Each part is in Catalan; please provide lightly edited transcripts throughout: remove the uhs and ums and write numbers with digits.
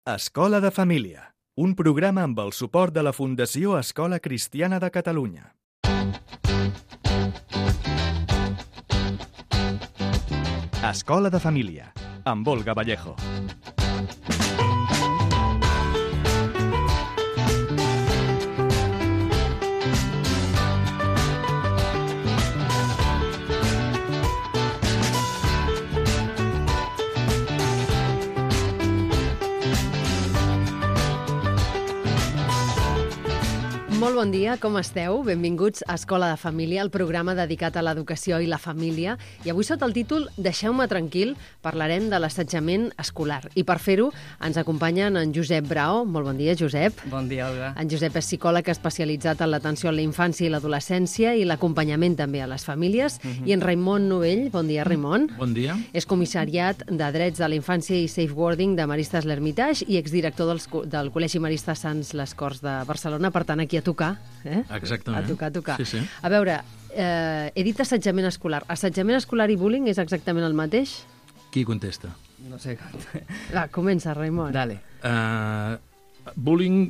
Escola de Família, un programa amb el suport de la Fundació Escola Cristiana de Catalunya. Escola de Família, amb Olga Vallejo. Molt bon dia, com esteu? Benvinguts a Escola de Família, el programa dedicat a l'educació i la família. I avui sota el títol Deixeu-me tranquil parlarem de l'assetjament escolar. I per fer-ho ens acompanyen en Josep Brao. Molt bon dia, Josep. Bon dia, Olga. En Josep és psicòleg especialitzat en l'atenció a la infància i l'adolescència i l'acompanyament també a les famílies. I en Raimon Novell. Bon dia, Raimon. Bon dia. És comissariat de Drets de la Infància i Safeguarding de Maristes l'Hermitage i exdirector del Col·legi Marista Sants les Corts de Barcelona. Per tant, aquí a tocar. Exactament. A tocar. Sí. A veure, he dit assetjament escolar. Assetjament escolar i bullying és exactament el mateix? Qui contesta? No sé. Va, comença, Raimon. Dale. Bullying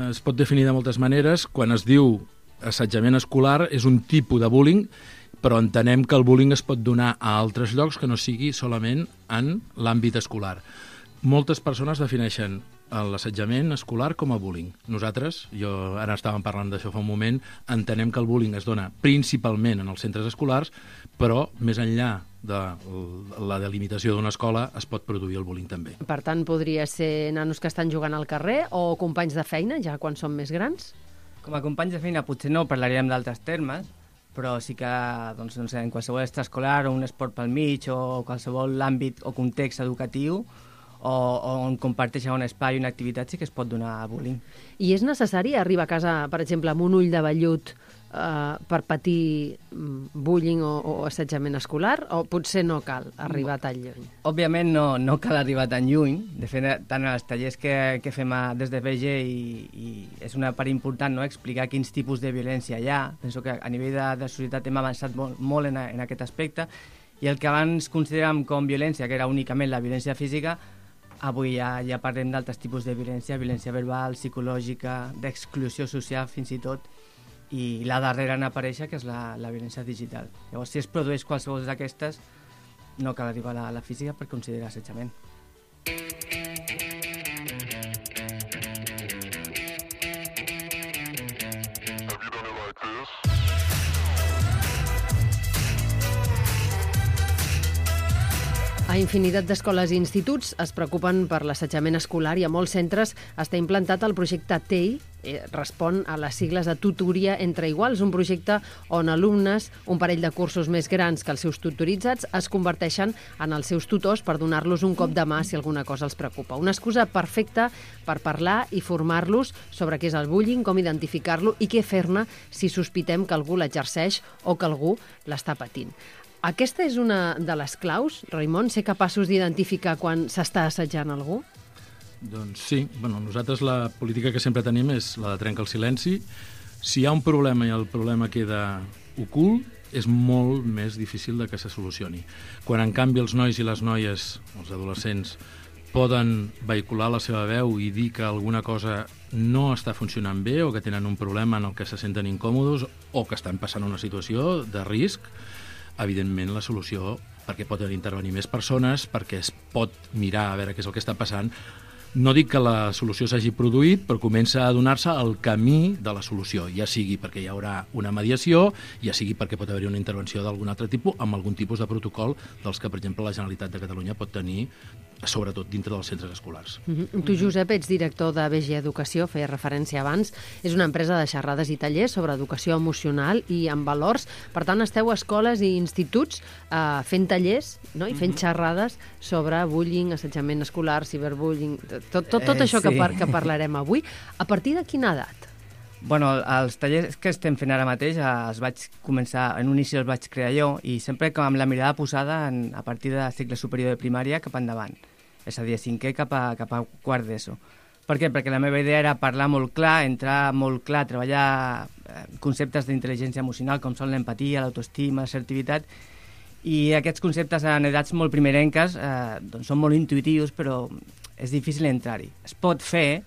es pot definir de moltes maneres. Quan es diu assetjament escolar és un tipus de bullying, però entenem que el bullying es pot donar a altres llocs que no sigui solament en l'àmbit escolar. Moltes persones defineixen l'assetjament escolar com a bullying. Nosaltres, ara estàvem parlant d'això fa un moment, entenem que el bullying es dona principalment en els centres escolars, però més enllà de la delimitació d'una escola es pot produir el bullying també. Per tant, podria ser nanos que estan jugant al carrer o companys de feina, ja quan són més grans? Com a companys de feina potser no parlaríem d'altres termes, però sí que doncs, no sé, en qualsevol extraescolar o un esport pel mig o qualsevol àmbit o context educatiu o on comparteixen un espai o una activitat sí que es pot donar bullying. I és necessari arribar a casa, per exemple, amb un ull de vellut per patir bullying o assetjament escolar, o potser no cal arribar tan lluny? Òbviament no cal arribar tan lluny. De fet, tant als tallers que fem des de BG i és una part important, no?, explicar quins tipus de violència hi ha. Penso que a nivell de societat hem avançat molt en aquest aspecte, i el que abans consideràvem com violència, que era únicament la violència física, avui ja parlem d'altres tipus de violència verbal, psicològica, d'exclusió social fins i tot, i la darrera en aparèixer, que és la violència digital. Llavors, si es produeix qualsevol d'aquestes, no cal arribar a la física per considerar assetjament. A infinitat d'escoles i instituts es preocupen per l'assetjament escolar i a molts centres està implantat el projecte TEI, respon a les sigles de tutoria entre iguals, un projecte on alumnes, un parell de cursos més grans que els seus tutoritzats, es converteixen en els seus tutors per donar-los un cop de mà si alguna cosa els preocupa. Una excusa perfecta per parlar i formar-los sobre què és el bullying, com identificar-lo i què fer-ne si sospitem que algú l'exerceix o que algú l'està patint. Aquesta és una de les claus, Raimon, ser capaços d'identificar quan s'està assetjant algú? Doncs sí. Nosaltres la política que sempre tenim és la de trencar el silenci. Si hi ha un problema i el problema queda ocult, és molt més difícil de que se solucioni. Quan, en canvi, els nois i les noies, els adolescents, poden vehicular la seva veu i dir que alguna cosa no està funcionant bé o que tenen un problema en el que se senten incòmodes o que estan passant una situació de risc, evidentment la solució, perquè pot intervenir més persones, perquè es pot mirar a veure què és el que està passant. No dic que la solució s'hagi produït, però comença a donar-se el camí de la solució, ja sigui perquè hi haurà una mediació, ja sigui perquè pot haver-hi una intervenció d'algun altre tipus, amb algun tipus de protocol dels que, per exemple, la Generalitat de Catalunya pot tenir, sobretot dintre dels centres escolars. Tu, Josep, ets director de BG Educació, feia referència abans. És una empresa de xerrades i tallers sobre educació emocional i amb valors. Per tant, esteu a escoles i instituts fent tallers, no?, i fent xerrades sobre bullying, assetjament escolar, ciberbullying, tot això que parlarem avui. A partir de quina edat? Els tallers que estem fent ara mateix els vaig començar, en un inici els vaig crear jo, i sempre amb la mirada posada a partir de cicle superior de primària cap endavant, és a dir, a cinquè cap a quart d'ESO. Per què? Perquè la meva idea era parlar molt clar, entrar molt clar, treballar conceptes d'intel·ligència emocional com són l'empatia, l'autoestima, l'assertivitat, i aquests conceptes en edats molt primerenques són molt intuitius, però és difícil entrar-hi. Es pot fer,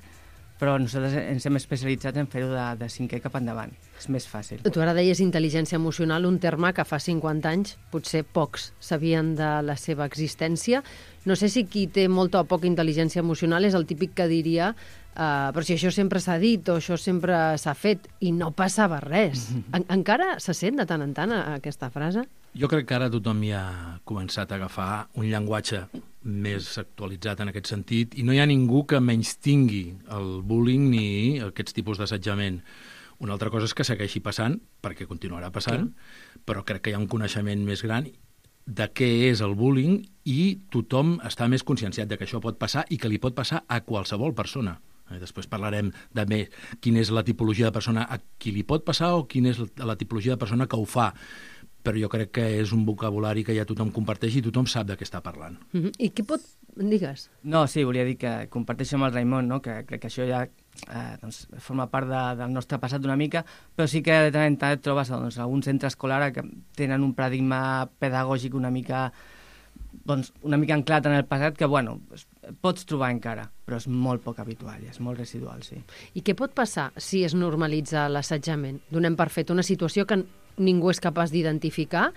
però nosaltres ens hem especialitzat en fer-ho de 5è cap endavant. És més fàcil. Tu ara deies intel·ligència emocional, un terme que fa 50 anys potser pocs sabien de la seva existència. No sé si qui té molta o poca intel·ligència emocional és el típic que diria però si això sempre s'ha dit o això sempre s'ha fet i no passava res. Encara se sent de tant en tant aquesta frase? Jo crec que ara tothom ja ha començat a agafar un llenguatge més actualitzat en aquest sentit i no hi ha ningú que menystingui el bullying ni aquests tipus d'assetjament. Una altra cosa és que segueixi passant, perquè continuarà passant, però crec que hi ha un coneixement més gran de què és el bullying i tothom està més conscienciat de que això pot passar i que li pot passar a qualsevol persona. Després parlarem de quina és la tipologia de persona a qui li pot passar o quina és la tipologia de persona que ho fa. Però jo crec que és un vocabulari que ja tothom comparteix i tothom sap de què està parlant. I què pot... Digues. No, sí, volia dir que comparteixo amb el Raimon, no? Que crec que això ja forma part del nostre passat una mica, però sí que de tant en tant et trobes algun centre escolar que tenen un paradigma pedagògic una mica anclat en el passat que, pots trobar encara, però és molt poc habitual, és molt residual, sí. I què pot passar si es normalitza l'assetjament? Donem per fet una situació que ningú és capaç d'identificar.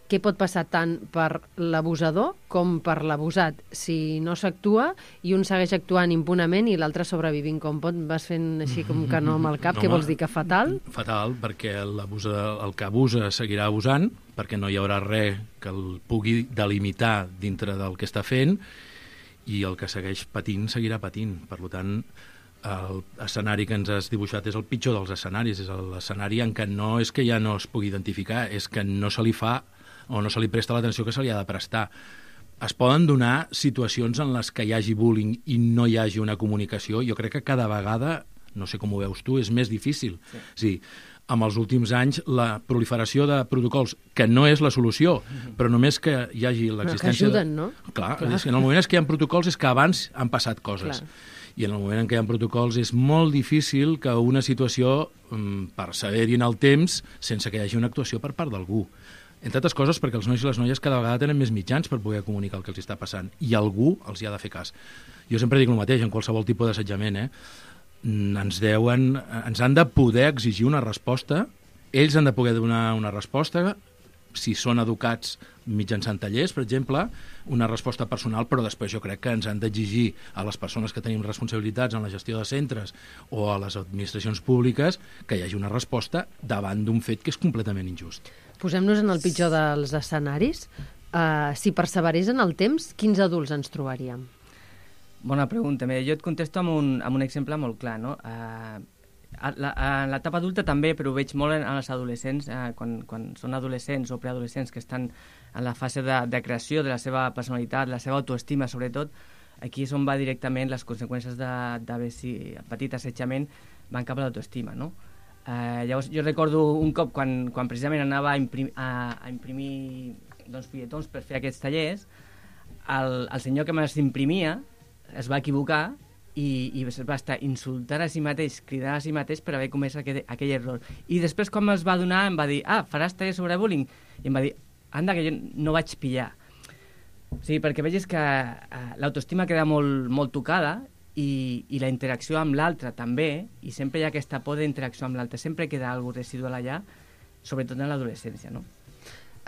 Què pot passar tant per l'abusador com per l'abusat? Si no s'actua i un segueix actuant impunament i l'altre sobrevivint, com vas fent així com que no amb el cap, què vols dir, que fatal? Fatal, perquè el que abusa seguirà abusant, perquè no hi haurà res que el pugui delimitar dintre del que està fent, i el que segueix patint seguirà patint. Per tant, l'escenari que ens has dibuixat és el pitjor dels escenaris, és l'escenari en què no és que ja no es pugui identificar, és que no se li fa o no se li presta l'atenció que se li ha de prestar. Es poden donar situacions en les que hi hagi bullying i no hi hagi una comunicació. Jo crec que cada vegada, no sé com ho veus tu, és més difícil. Sí, amb els últims anys, la proliferació de protocols, que no és la solució, però només que hi hagi l'existència... Que ajuden, no? Clar. És que en el moment que hi ha protocols és que abans han passat coses. Clar. I en el moment en què hi ha protocols és molt difícil que una situació perseveri en el temps sense que hi hagi una actuació per part d'algú. Entre altres coses perquè els nois i les noies cada vegada tenen més mitjans per poder comunicar el que els està passant i algú els hi ha de fer cas. Jo sempre dic el mateix en qualsevol tipus d'assetjament, ens han de poder exigir una resposta, ells han de poder donar una resposta, si són educats mitjançant tallers, per exemple, una resposta personal, però després jo crec que ens han d'exigir a les persones que tenim responsabilitats en la gestió de centres o a les administracions públiques que hi hagi una resposta davant d'un fet que és completament injust. Posem-nos en el pitjor dels escenaris. Si perseverés en el temps, quins adults ens trobaríem? Bona pregunta. Jo et contesto amb un exemple molt clar, no? En l'etapa adulta també, però ho veig molt en els adolescents, quan són adolescents o preadolescents que estan en la fase de creació de la seva personalitat, la seva autoestima, sobretot, aquí és on va directament les conseqüències d'haver patit assetjament van cap a l'autoestima, no? Llavors, jo recordo un cop quan precisament anava a imprimir fulletons per fer aquests tallers, el senyor que me les imprimia es va equivocar i va estar insultant a si mateix, cridant a si mateix per haver comès aquell error. I després, quan me'ls va donar, em va dir, faràs tallers sobre bullying? I em va dir, anda, que jo no vaig pillar. Sí, perquè vegis que l'autoestima queda molt, molt tocada i la interacció amb l'altre també, i sempre hi ha aquesta por d'interacció amb l'altre, sempre queda alguna residual allà, sobretot en l'adolescència, no?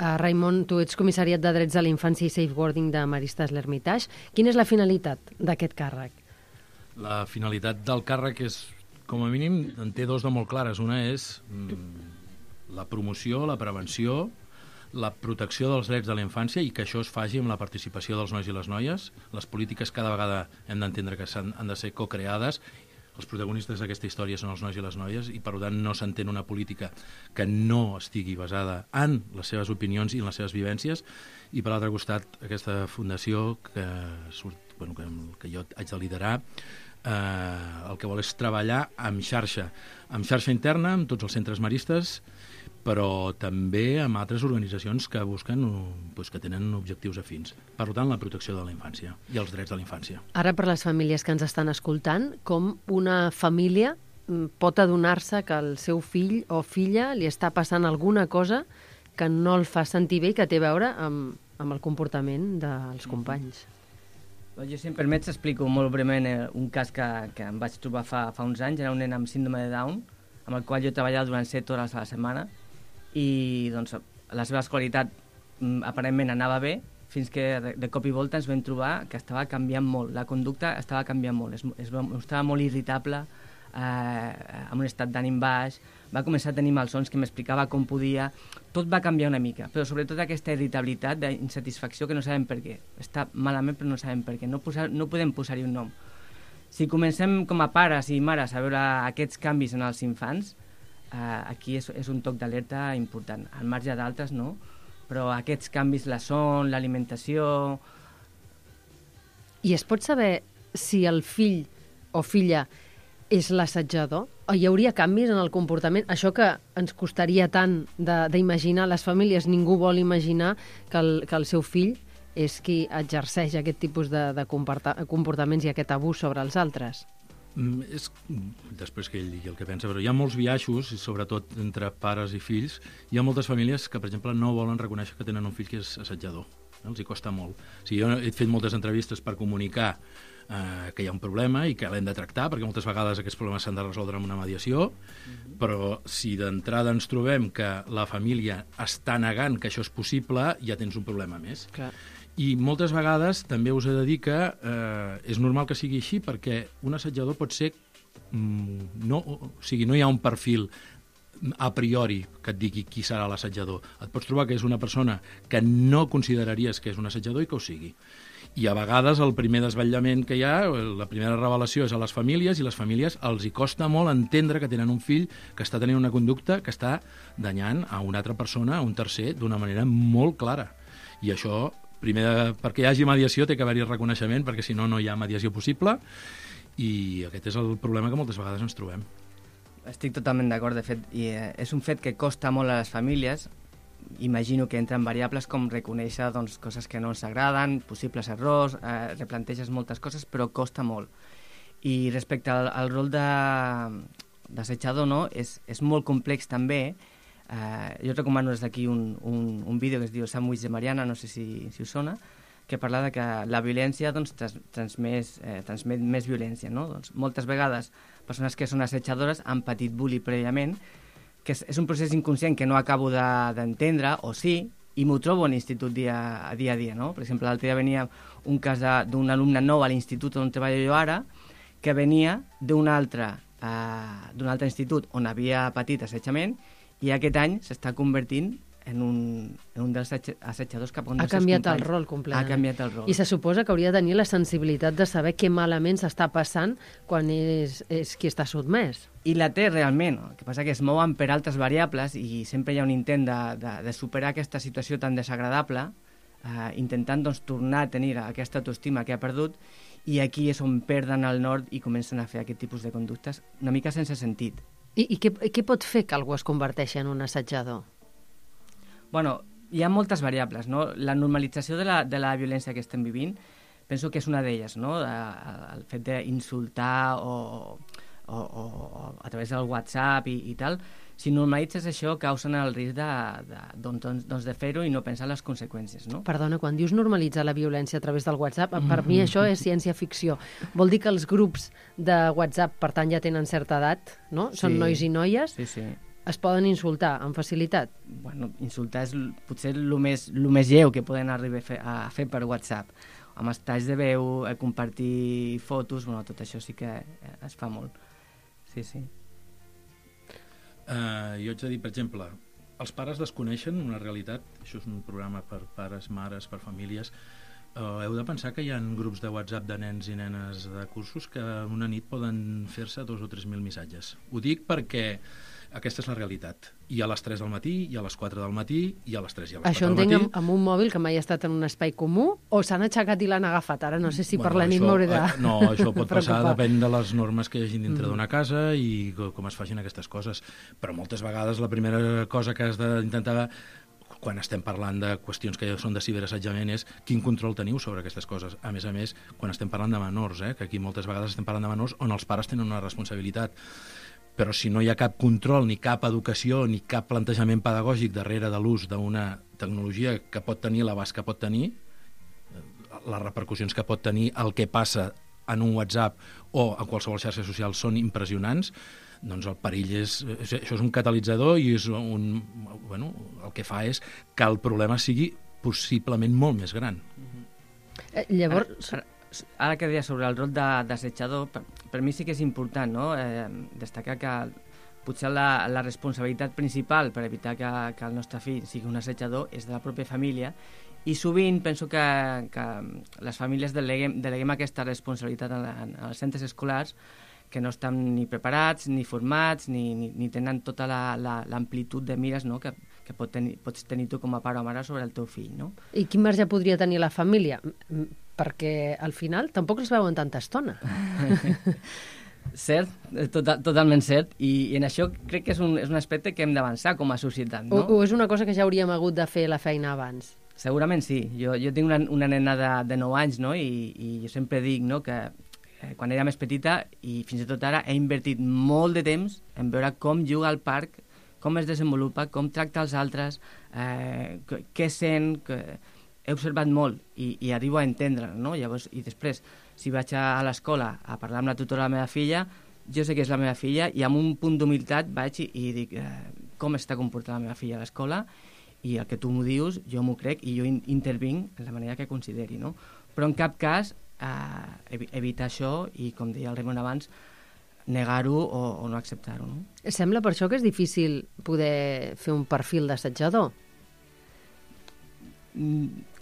Raimon, tu ets comissariat de Drets de la Infància i Safeguarding de Maristes l'Hermitage. Quina és la finalitat d'aquest càrrec? La finalitat del càrrec és, com a mínim, en té dos de molt clares. Una és la promoció, la prevenció, la protecció dels drets de la infància i que això es faci amb la participació dels nois i les noies. Les polítiques cada vegada hem d'entendre que han de ser co-creades. Els protagonistes d'aquesta història són els nois i les noies i, per tant, no s'entén una política que no estigui basada en les seves opinions i en les seves vivències. I, per l'altre costat, aquesta fundació que jo haig de liderar, el que vol és treballar amb xarxa interna, amb tots els centres maristes, però també amb altres organitzacions que busquen, que tenen objectius afins. Per tant, la protecció de la infància i els drets de la infància. Ara, per les famílies que ens estan escoltant, com una família pot adonar-se que el seu fill o filla li està passant alguna cosa que no el fa sentir bé i que té a veure amb el comportament dels companys? Jo, si em permets, explico molt breument un cas que em vaig trobar fa uns anys. Era un nen amb síndrome de Down, amb el qual jo treballava durant 7 hores a la setmana, i doncs, la seva escolaritat aparentment anava bé, fins que de cop i volta ens vam trobar que estava canviant molt, la conducta estava canviant molt, estava molt irritable, amb un estat d'ànim baix, va començar a tenir malsons que m'explicava com podia, tot va canviar una mica, però sobretot aquesta irritabilitat, d'insatisfacció que no sabem per què, està malament però no sabem per què, no podem posar-hi un nom. Si comencem com a pares i mares a veure aquests canvis en els infants, aquí és un toc d'alerta important, al marge d'altres no, però aquests canvis, la son, l'alimentació... I es pot saber si el fill o filla és l'assetjador? O hi hauria canvis en el comportament? Això que ens costaria tant d'imaginar, les famílies, ningú vol imaginar que el seu fill és qui exerceix aquest tipus de comportaments i aquest abús sobre els altres. Després que ell digui el que pensa, però hi ha molts biaixos, sobretot entre pares i fills. Hi ha moltes famílies que, per exemple, no volen reconèixer que tenen un fill que és assetjador. Els hi costa molt. Jo he fet moltes entrevistes per comunicar que hi ha un problema i que l'hem de tractar, perquè moltes vegades aquests problemes s'han de resoldre amb una mediació, però si d'entrada ens trobem que la família està negant que això és possible, ja tens un problema més. Clar. I moltes vegades també us he de dir que és normal que sigui així, perquè un assetjador pot ser... no hi ha un perfil a priori que et digui qui serà l'assetjador. Et pots trobar que és una persona que no consideraries que és un assetjador i que ho sigui. I a vegades el primer desvetllament que hi ha, la primera revelació és a les famílies, i les famílies els hi costa molt entendre que tenen un fill que està tenint una conducta que està danyant a una altra persona, a un tercer, d'una manera molt clara. I això, primer, perquè hi hagi mediació té que haver-hi reconeixement, perquè si no, no hi ha mediació possible, i aquest és el problema que moltes vegades ens trobem. Estic totalment d'acord, de fet, i és un fet que costa molt a les famílies. Imagino que entren variables com reconèixer coses que no ens agraden, possibles errors, replanteges moltes coses, però costa molt. I respecte al rol d'assetjador, no? És molt complex també. Jo recomano des d'aquí un vídeo que es diu Sandwich de Mariana, no sé si us sona, que parla de que la violència transmet més violència. No? Moltes vegades persones que són assetjadores han patit bullying prèviament, que és un procés inconscient que no acabo d'entendre, o sí, i m'ho trobo en l'institut dia a dia. No? Per exemple, l'altre dia venia un cas d'un alumne nou a l'institut on treballo jo ara, que venia d'un altre institut on havia patit assetjament, i aquest any s'està convertint en un dels assetjadors cap a un dels seus companys. Ha canviat el rol completament. Ha canviat el rol. I se suposa que hauria de tenir la sensibilitat de saber què malament s'està passant quan és qui està sotmès. I la té realment, el que passa que es mouen per altres variables i sempre hi ha un intent de superar aquesta situació tan desagradable, intentant tornar a tenir aquesta autoestima que ha perdut, i aquí és on perden el nord i comencen a fer aquest tipus de conductes una mica sense sentit. I què pot fer que algú es converteixi en un assetjador? Bueno, hi ha moltes variables, no? La normalització de la violència que estem vivint, penso que és una d'elles, no? El fet d'insultar o a través del WhatsApp i tal, si normalitzes això, causen el risc de fer-ho i no pensar en les conseqüències, no? Perdona, quan dius normalitzar la violència a través del WhatsApp, per mi això és ciència-ficció. Vol dir que els grups de WhatsApp, per tant, ja tenen certa edat, no? Són nois i noies? Sí. Es poden insultar amb facilitat? Bueno, insultar és potser el més lleu que poden arribar a fer per WhatsApp. Amb els talls de veu, compartir fotos, bueno, tot això sí que es fa molt. Sí. Jo haig de dir, per exemple, els pares desconeixen una realitat, això és un programa per pares, mares, per famílies, heu de pensar que hi ha grups de WhatsApp de nens i nenes de cursos que una nit poden fer-se 2.000 o 3.000 missatges. Ho dic perquè aquesta és la realitat. I a les 3 del matí, i a les 4 del matí, i a les 3 i a les 4 del matí. Això entenc amb un mòbil que mai ha estat en un espai comú, o s'han aixecat i l'han agafat? Ara no sé si per la nit m'hauré de... No, això pot passar, depèn de les normes que hi hagi dintre d'una casa i com es facin aquestes coses. Però moltes vegades la primera cosa que has d'intentar quan estem parlant de qüestions que són de ciberassetjament és quin control teniu sobre aquestes coses. A més, quan estem parlant de menors, que aquí moltes vegades estem parlant de menors on els pares tenen una responsabilitat. Però si no hi ha cap control, ni cap educació, ni cap plantejament pedagògic darrere de l'ús d'una tecnologia que pot tenir l'abast que pot tenir, les repercussions que pot tenir el que passa en un WhatsApp o en qualsevol xarxa social són impressionants, doncs el perill això és un catalitzador i el que fa és que el problema sigui possiblement molt més gran. Llavors... Ara que deia sobre el rol d'assetjador, per mi sí que és important, no? Destacar que potser la responsabilitat principal per evitar que el nostre fill sigui un assetjador és de la pròpia família, i sovint penso que les famílies deleguem aquesta responsabilitat als centres escolars, que no estan ni preparats, ni formats, ni tenen tota l'amplitud de mires, no? que pots tenir tu com a pare o mare sobre el teu fill. No? I quin marge podria tenir la família? Perquè al final tampoc els veuen tanta estona. Cert, totalment cert, i en això crec que és un aspecte que hem d'avançar com a societat. No? O és una cosa que ja hauríem hagut de fer la feina abans? Segurament sí. Jo tinc una nena de 9 anys, no? I jo sempre dic, no, que quan era més petita i fins i tot ara he invertit molt de temps en veure com juga al parc, com es desenvolupa, com tracta els altres, què sent... He observat molt i arribo a entendre, no? Llavors, i després, si vaig a l'escola a parlar amb la tutora de la meva filla, jo sé que és la meva filla i amb un punt d'humilitat vaig i dic com està comportant la meva filla a l'escola, i el que tu m'ho dius, jo m'ho crec i jo intervinc en la manera que consideri, no? Però en cap cas evitar això i, com deia el Raimon abans, negar-ho o no acceptar-ho. No? Sembla per això que és difícil poder fer un perfil d'assetjador.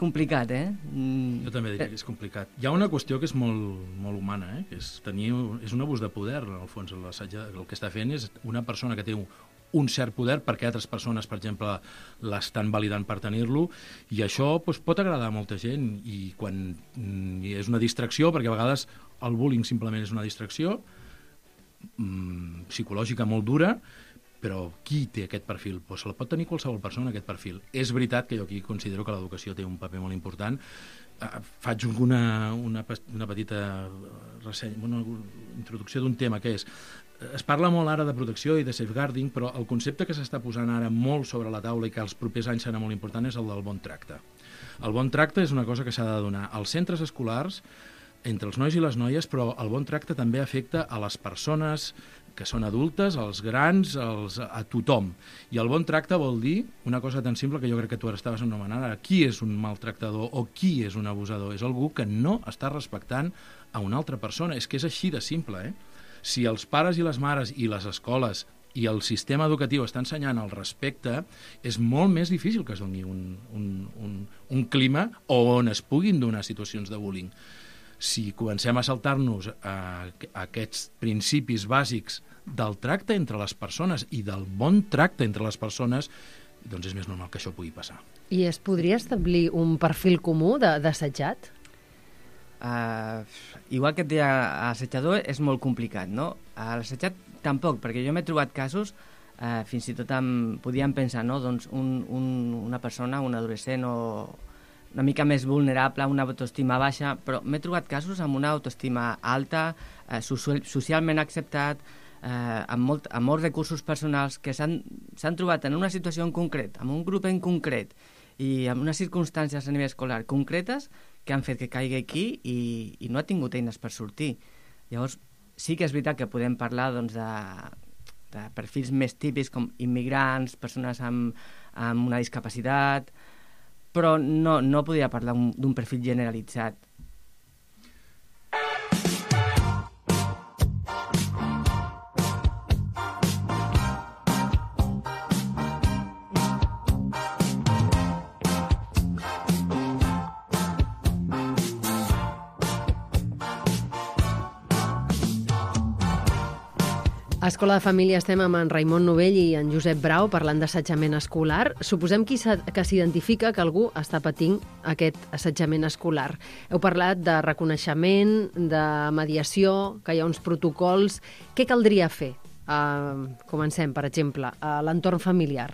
Complicat, Jo també diria que és complicat. Hi ha una qüestió que és molt humana, que és un abús de poder, en el fons. El que està fent és una persona que té un cert poder perquè altres persones, per exemple, l'estan validant per tenir-lo, i això pot agradar a molta gent, i quan és una distracció, perquè a vegades el bullying simplement és una distracció psicològica molt dura, però qui té aquest perfil? Se la pot tenir qualsevol persona, aquest perfil. És veritat que jo aquí considero que l'educació té un paper molt important. Faig una petita una introducció d'un tema que és... Es parla molt ara de protecció i de safeguarding, però el concepte que s'està posant ara molt sobre la taula i que els propers anys serà molt important és el del bon tracte. El bon tracte és una cosa que s'ha de donar als centres escolars, entre els nois i les noies, però el bon tracte també afecta a les persones que són adultes, als grans, a tothom. I el bon tracte vol dir una cosa tan simple que jo crec que tu ara estaves anomenant, qui és un maltractador o qui és un abusador? És algú que no està respectant a una altra persona. És que és així de simple, Si els pares i les mares i les escoles i el sistema educatiu està ensenyant el respecte, és molt més difícil que es doni un clima on es puguin donar situacions de bullying. Si comencem a saltar-nos aquests principis bàsics del tracte entre les persones i del bon tracte entre les persones, doncs és més normal que això pugui passar. I es podria establir un perfil comú d'assetjat? Igual que et deia, assetjador és molt complicat, no? L'assetjat tampoc, perquè jo m'he trobat casos, fins i tot podíem pensar, no? Doncs una persona, un adolescent o una mica més vulnerable, una autoestima baixa, però m'he trobat casos amb una autoestima alta, socialment acceptat, amb molts recursos personals, que s'han trobat en una situació en concret, amb un grup en concret, i amb unes circumstàncies a nivell escolar concretes que han fet que caigui aquí i no ha tingut eines per sortir. Llavors, sí que és veritat que podem parlar de perfils més típics com immigrants, persones amb una discapacitat, però no podria parlar d'un perfil generalitzat. A Escola de Família estem amb en Raimon Novell i en Josep Brau parlant d'assetjament escolar. Suposem que s'identifica que algú està patint aquest assetjament escolar. Heu parlat de reconeixement, de mediació, que hi ha uns protocols. Què caldria fer? Comencem, per exemple, a l'entorn familiar.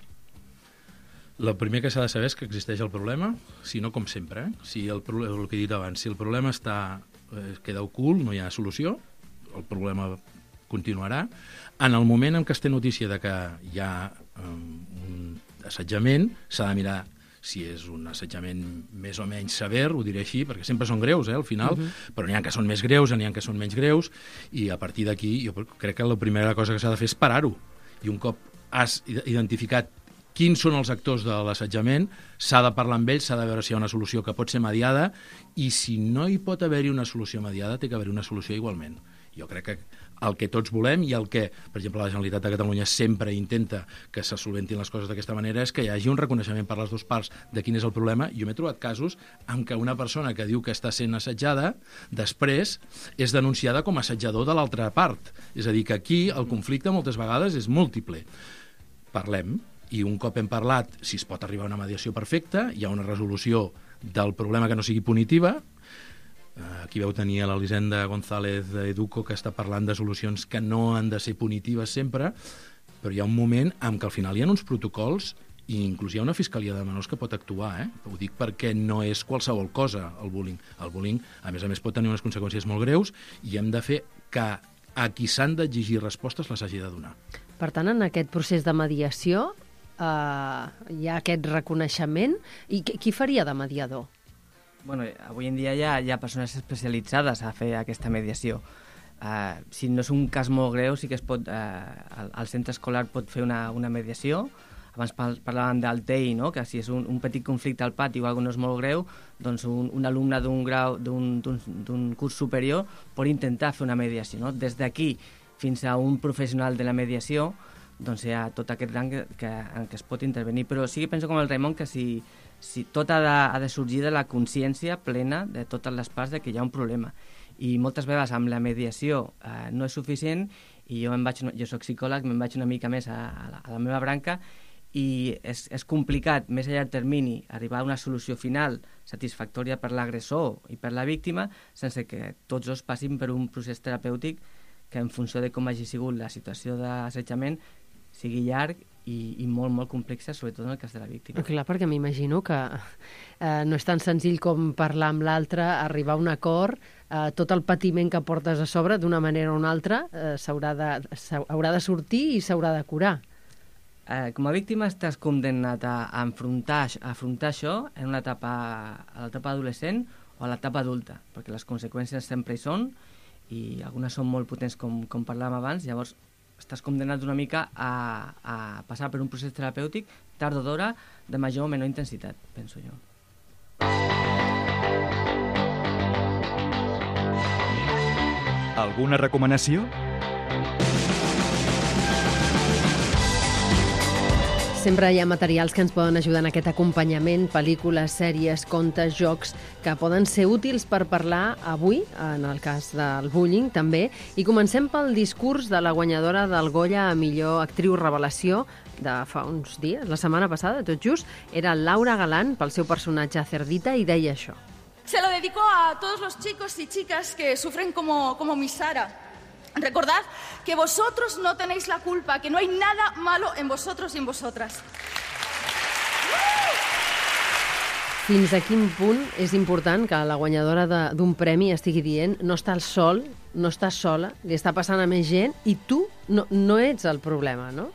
El primer que s'ha de saber és que existeix el problema, si no com sempre. Si el que he dit abans, si el problema queda ocult, no hi ha solució, el problema continuarà. En el moment en què es té notícia de que hi ha un assetjament, s'ha de mirar si és un assetjament més o menys sever, ho diré així, perquè sempre són greus, al final, però n'hi ha que són més greus, n'hi ha que són menys greus, i a partir d'aquí jo crec que la primera cosa que s'ha de fer és parar-ho. I un cop has identificat quins són els actors de l'assetjament, s'ha de parlar amb ells, s'ha de veure si hi ha una solució que pot ser mediada, i si no hi pot haver-hi una solució mediada, té que haver-hi una solució igualment. Jo crec que el que tots volem i el que, per exemple, la Generalitat de Catalunya sempre intenta que se solventin les coses d'aquesta manera és que hi hagi un reconeixement per les dues parts de quin és el problema. Jo m'he trobat casos en què una persona que diu que està sent assetjada després és denunciada com a assetjador de l'altra part. És a dir, que aquí el conflicte moltes vegades és múltiple. Parlem, i un cop hem parlat, si es pot arribar a una mediació perfecta, hi ha una resolució del problema que no sigui punitiva. Aquí veu tenir a l'Elisenda González d'Educo, que està parlant de solucions que no han de ser punitives sempre, però hi ha un moment en què al final hi ha uns protocols i inclús hi ha una fiscalia de menors que pot actuar. Ho dic perquè no és qualsevol cosa el bullying. El bullying, a més, pot tenir unes conseqüències molt greus i hem de fer que a qui s'han d'exigir respostes les hagi de donar. Per tant, en aquest procés de mediació hi ha aquest reconeixement. I qui faria de mediador? Bueno, avui en dia hi ha persones especialitzades a fer aquesta mediació. Si no és un cas molt greu, sí que es pot, el centre escolar pot fer una mediació. Abans parlàvem del TEI, no? Que si és un petit conflicte al pati o alguna cosa no és molt greu, doncs un alumne d'un grau d'un curs superior pot intentar fer una mediació. No? Des d'aquí fins a un professional de la mediació, doncs hi ha tot aquest rang en què es pot intervenir. Però sí que penso com el Raimon que si tot ha de sorgir de la consciència plena de totes les parts de que hi ha un problema. I moltes vegades amb la mediació no és suficient i jo soc psicòleg, me'n vaig una mica més a la meva branca i és complicat, més a llarg termini, arribar a una solució final satisfactòria per l'agressor i per la víctima sense que tots dos passin per un procés terapèutic que en funció de com hagi sigut la situació d'assetjament sigui llarg i molt, molt complexa, sobretot en el cas de la víctima. Clar, perquè m'imagino que no és tan senzill com parlar amb l'altre, arribar a un acord, tot el patiment que portes a sobre, d'una manera o una altra, haurà de sortir i s'haurà de curar. Com a víctima estàs condemnat a afrontar això en una etapa, a l'etapa adolescent o a l'etapa adulta, perquè les conseqüències sempre hi són i algunes són molt potents com parlàvem abans, llavors estàs condemnat una mica a passar per un procés terapèutic tard o d'hora de major o menor intensitat, penso jo. Alguna recomanació? Sempre hi ha materials que ens poden ajudar en aquest acompanyament, pel·lícules, sèries, contes, jocs, que poden ser útils per parlar avui, en el cas del bullying també. I comencem pel discurs de la guanyadora del Goya a millor actriu revelació de fa uns dies, la setmana passada, tot just, era Laura Galán pel seu personatge Cerdita i deia això. Se lo dedico a todos los chicos y chicas que sufren como mi Sara. Recordad que vosotros no tenéis la culpa, que no hay nada malo en vosotros y en vosotras. Fins a quin punt és important que la guanyadora d'un premi estigui dient no estàs sol, no estàs sola, li està passant a més gent i tu no ets el problema, no?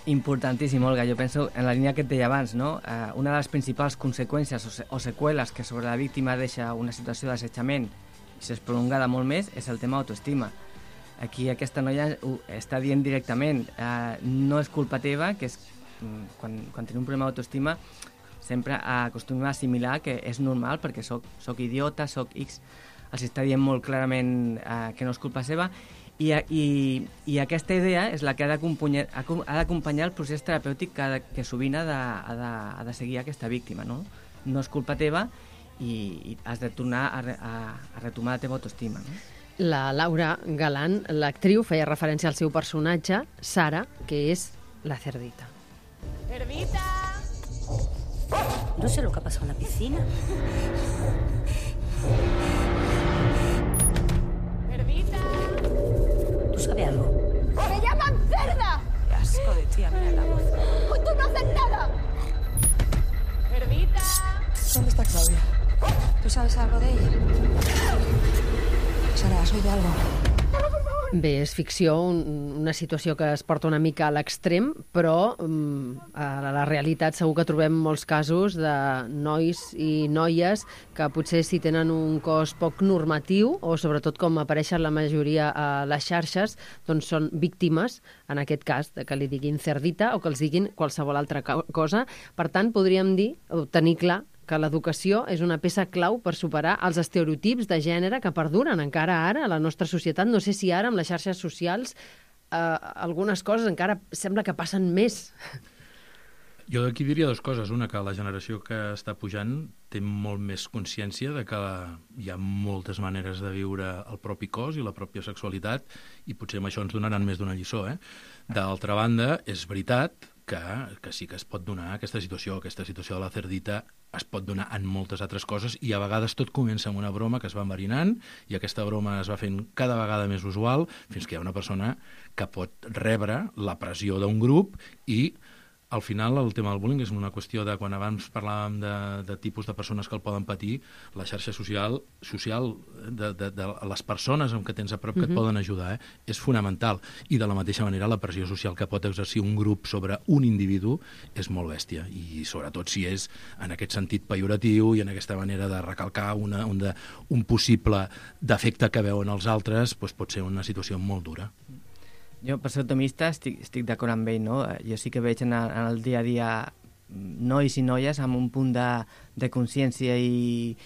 Importantíssim, Olga. Jo penso en la línia que et deia abans, no? Una de les principals conseqüències o seqüeles que sobre la víctima deixa una situació d'assetjament i s'és prolongada molt més és el tema autoestima. Aquí aquesta noia ho està dient directament, no és culpa teva, que és quan tenim un problema d'autoestima sempre acostumem a assimilar que és normal perquè soc idiota, soc X, els està dient molt clarament que no és culpa seva i aquesta idea és la que ha d'acompanyar el procés terapèutic que sovint ha de seguir aquesta víctima, no? No és culpa teva i has de tornar a retomar la teva autoestima, no? La Laura Galán, l'actriu, feia referència al seu personatge, Sara, que és la Cerdita. Cerdita. No sé lo que ha pasado en la piscina. Cerdita. ¿Tú sabes algo? ¡Me llaman cerda! Qué asco de tía, mira la voz. ¡Tú no haces nada! Cerdita. ¿Dónde está Claudia? ¿Tú sabes algo de ella? Sara, ¿has oído algo? ¡Sara, por favor! Bé, és ficció, una situació que es porta una mica a l'extrem, però a la realitat segur que trobem molts casos de nois i noies que potser si tenen un cos poc normatiu o sobretot com apareixen la majoria a les xarxes, doncs són víctimes, en aquest cas, de que li diguin cerdita o que els diguin qualsevol altra cosa. Per tant, podríem dir, o tenir clar, que l'educació és una peça clau per superar els estereotips de gènere que perduren encara ara a la nostra societat. No sé si ara amb les xarxes socials algunes coses encara sembla que passen més. Jo d'aquí diria dues coses. Una, que la generació que està pujant té molt més consciència de que hi ha moltes maneres de viure el propi cos i la pròpia sexualitat, i potser amb això ens donaran més d'una lliçó. D'altra banda, és veritat que sí que es pot donar aquesta situació de la cerdita es pot donar en moltes altres coses, i a vegades tot comença amb una broma que es va enverinant, i aquesta broma es va fent cada vegada més usual, fins que hi ha una persona que pot rebre la pressió d'un grup, i al final el tema del bullying és una qüestió de, quan abans parlàvem de tipus de persones que el poden patir, la xarxa social de les persones amb què tens a prop que et poden ajudar, és fonamental. I de la mateixa manera la pressió social que pot exercir un grup sobre un individu és molt bèstia, i sobretot si és en aquest sentit pejoratiu i en aquesta manera de recalcar un possible defecte que veuen els altres, doncs pot ser una situació molt dura. Jo, per ser optimista, estic d'acord amb ell, no? Jo sí que veig en el dia a dia nois i noies amb un punt de consciència i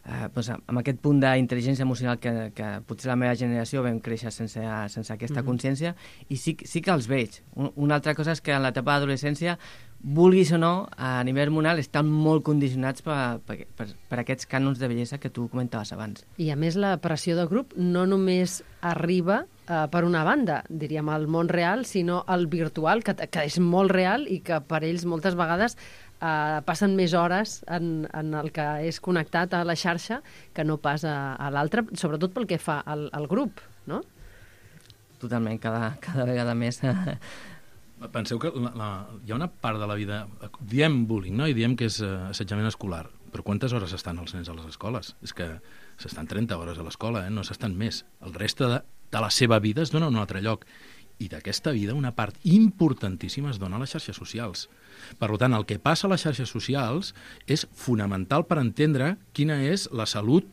amb aquest punt d'intel·ligència emocional que potser la meva generació vam créixer sense aquesta consciència, i sí que els veig. Una altra cosa és que en l'etapa d'adolescència, vulguis o no, a nivell hormonal estan molt condicionats per aquests cànons de bellesa que tu comentaves abans. I a més la pressió de grup no només arriba per una banda, diríem, al món real, sinó al virtual, que és molt real i que per ells moltes vegades passen més hores en el que és connectat a la xarxa que no pas a l'altre, sobretot pel que fa al grup, no? Totalment, cada vegada més. Penseu que hi ha una part de la vida, diem bullying, no? I diem que és assetjament escolar, però quantes hores estan els nens a les escoles? És que s'estan 30 hores a l'escola, no s'estan més. El reste de la seva vida es dona en un altre lloc. I d'aquesta vida una part importantíssima es dona a les xarxes socials. Per tant, el que passa a les xarxes socials és fonamental per entendre quina és la salut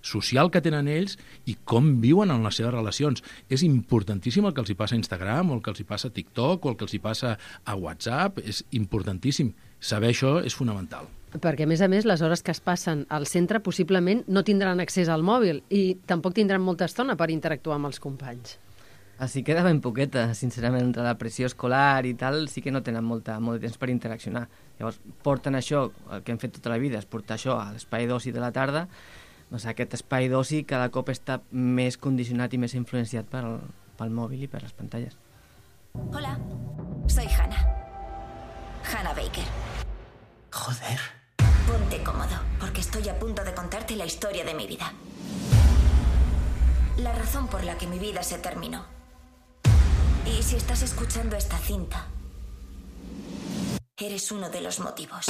social que tenen ells i com viuen en les seves relacions. És importantíssim el que els hi passa a Instagram, o el que els hi passa a TikTok, o el que els hi passa a WhatsApp. És importantíssim. Saber això és fonamental. Perquè, a més, les hores que es passen al centre possiblement no tindran accés al mòbil i tampoc tindran molta estona per interactuar amb els companys. Així queda ben poqueta, sincerament, entre la pressió escolar i tal, sí que no tenen molt de temps per interaccionar. Llavors, porten això, el que hem fet tota la vida, és portar això a l'espai d'oci de la tarda. Doncs aquest espai d'oci cada cop està més condicionat i més influenciat pel mòbil i per les pantalles. Hola, soy Hannah. Hannah Baker. Joder. Ponte cómodo, porque estoy a punto de contarte la historia de mi vida. La razón por la que mi vida se terminó. Y si estás escuchando esta cinta, eres uno de los motivos.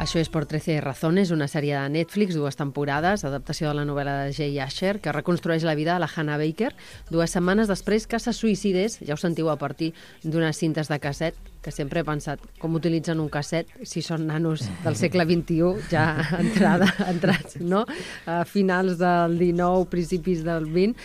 Això és Por 13 razones, una sèrie de Netflix, 2 temporades, adaptació de la novel·la de Jay Asher, que reconstrueix la vida de la Hannah Baker 2 setmanes després que se suïcidés, ja ho sentiu, a partir d'unes cintes de casset, que sempre he pensat com utilitzen un casset si són nanos del segle XXI, ja entrats, no? A finals del XIX, principis del XX.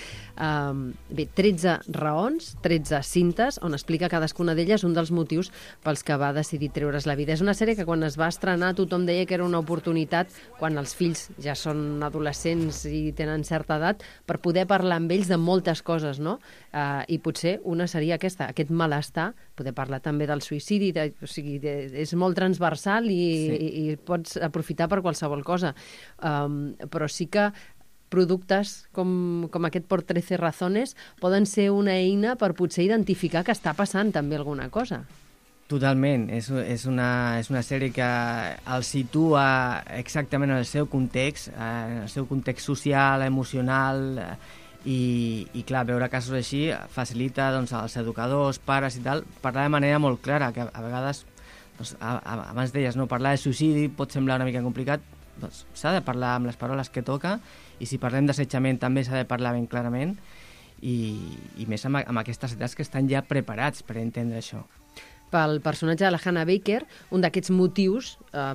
Bé, 13 raons, 13 cintes, on explica cadascuna d'elles un dels motius pels que va decidir treure's la vida. És una sèrie que quan es va estrenar tothom deia que era una oportunitat, quan els fills ja són adolescents i tenen certa edat, per poder parlar amb ells de moltes coses, no? I potser una seria aquesta, aquest malestar, poder parlar també del suïcidi, o sigui, és molt transversal i pots aprofitar per qualsevol cosa. Però sí que productes com aquest Por 13 razones poden ser una eina per potser identificar que està passant també alguna cosa. Totalment. És una sèrie que el situa exactament en el seu context, social, emocional, i clar, veure casos així facilita als educadors, pares i tal, parlar de manera molt clara, que a vegades, abans deies, no, parlar de suïcidi pot semblar una mica complicat, doncs, s'ha de parlar amb les paraules que toca, i si parlem d'assetjament també s'ha de parlar ben clarament, i més amb aquestes edats que estan ja preparats per entendre això. Pel personatge de la Hannah Baker, un d'aquests motius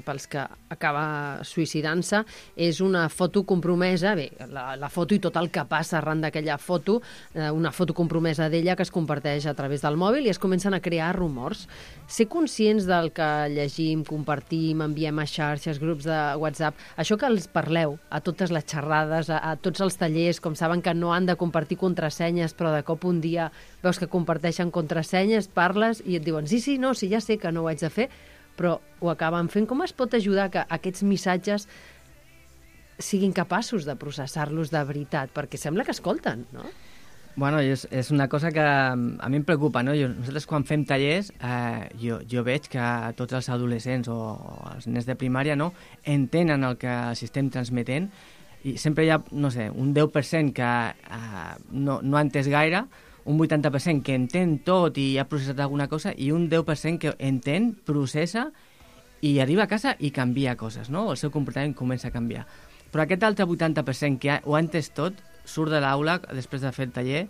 pels que acaba suïcidant-se és una foto compromesa, bé, la foto i tot el que passa arran d'aquella foto, una foto compromesa d'ella que es comparteix a través del mòbil i es comencen a crear rumors. Ser conscients del que llegim, compartim, enviem a xarxes, grups de WhatsApp, això que els parleu a totes les xerrades, a tots els tallers, com saben que no han de compartir contrasenyes, però de cop un dia veus que comparteixen contrasenyes, parles i et diuen sí, no, sí, ja sé que no ho haig de fer, però ho acaben fent. Com es pot ajudar que aquests missatges siguin capaços de processar-los de veritat? Perquè sembla que escolten, no? Bueno, és una cosa que a mi em preocupa, no? Nosaltres quan fem tallers, jo veig que tots els adolescents o els nens de primària no entenen el que els estem transmetent, i sempre hi ha, no sé, un 10% que no ha entès gaire, un 80% que entén tot i ha processat alguna cosa, i un 10% que entén, processa i arriba a casa i canvia coses, no? El seu comportament comença a canviar. Però aquest altre 80% que ho ha entès tot, surt de l'aula després de fer el taller,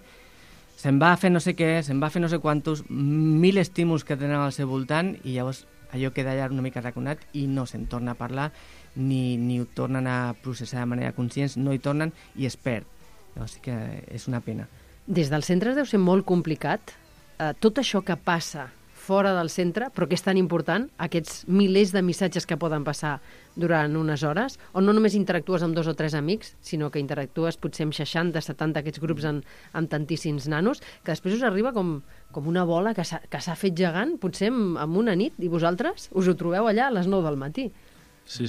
se'n va a fer no sé què, se'n va a fer no sé quantos, 1000 estímuls que tenen al seu voltant, i llavors allò queda allà una mica raconat i no se'n torna a parlar, ni ho tornen a processar de manera conscient, no hi tornen i es perd. Llavors sí que és una pena. Des dels centres deu ser molt complicat tot això que passa fora del centre, però que és tan important, aquests milers de missatges que poden passar durant unes hores, on no només interactues amb 2 o 3 amics, sinó que interactues potser amb 60, 70 aquests grups amb tantíssims nanos, que després us arriba com una bola que s'ha fet gegant, potser en una nit, i vosaltres us ho trobeu allà a les 9 del matí. Sí.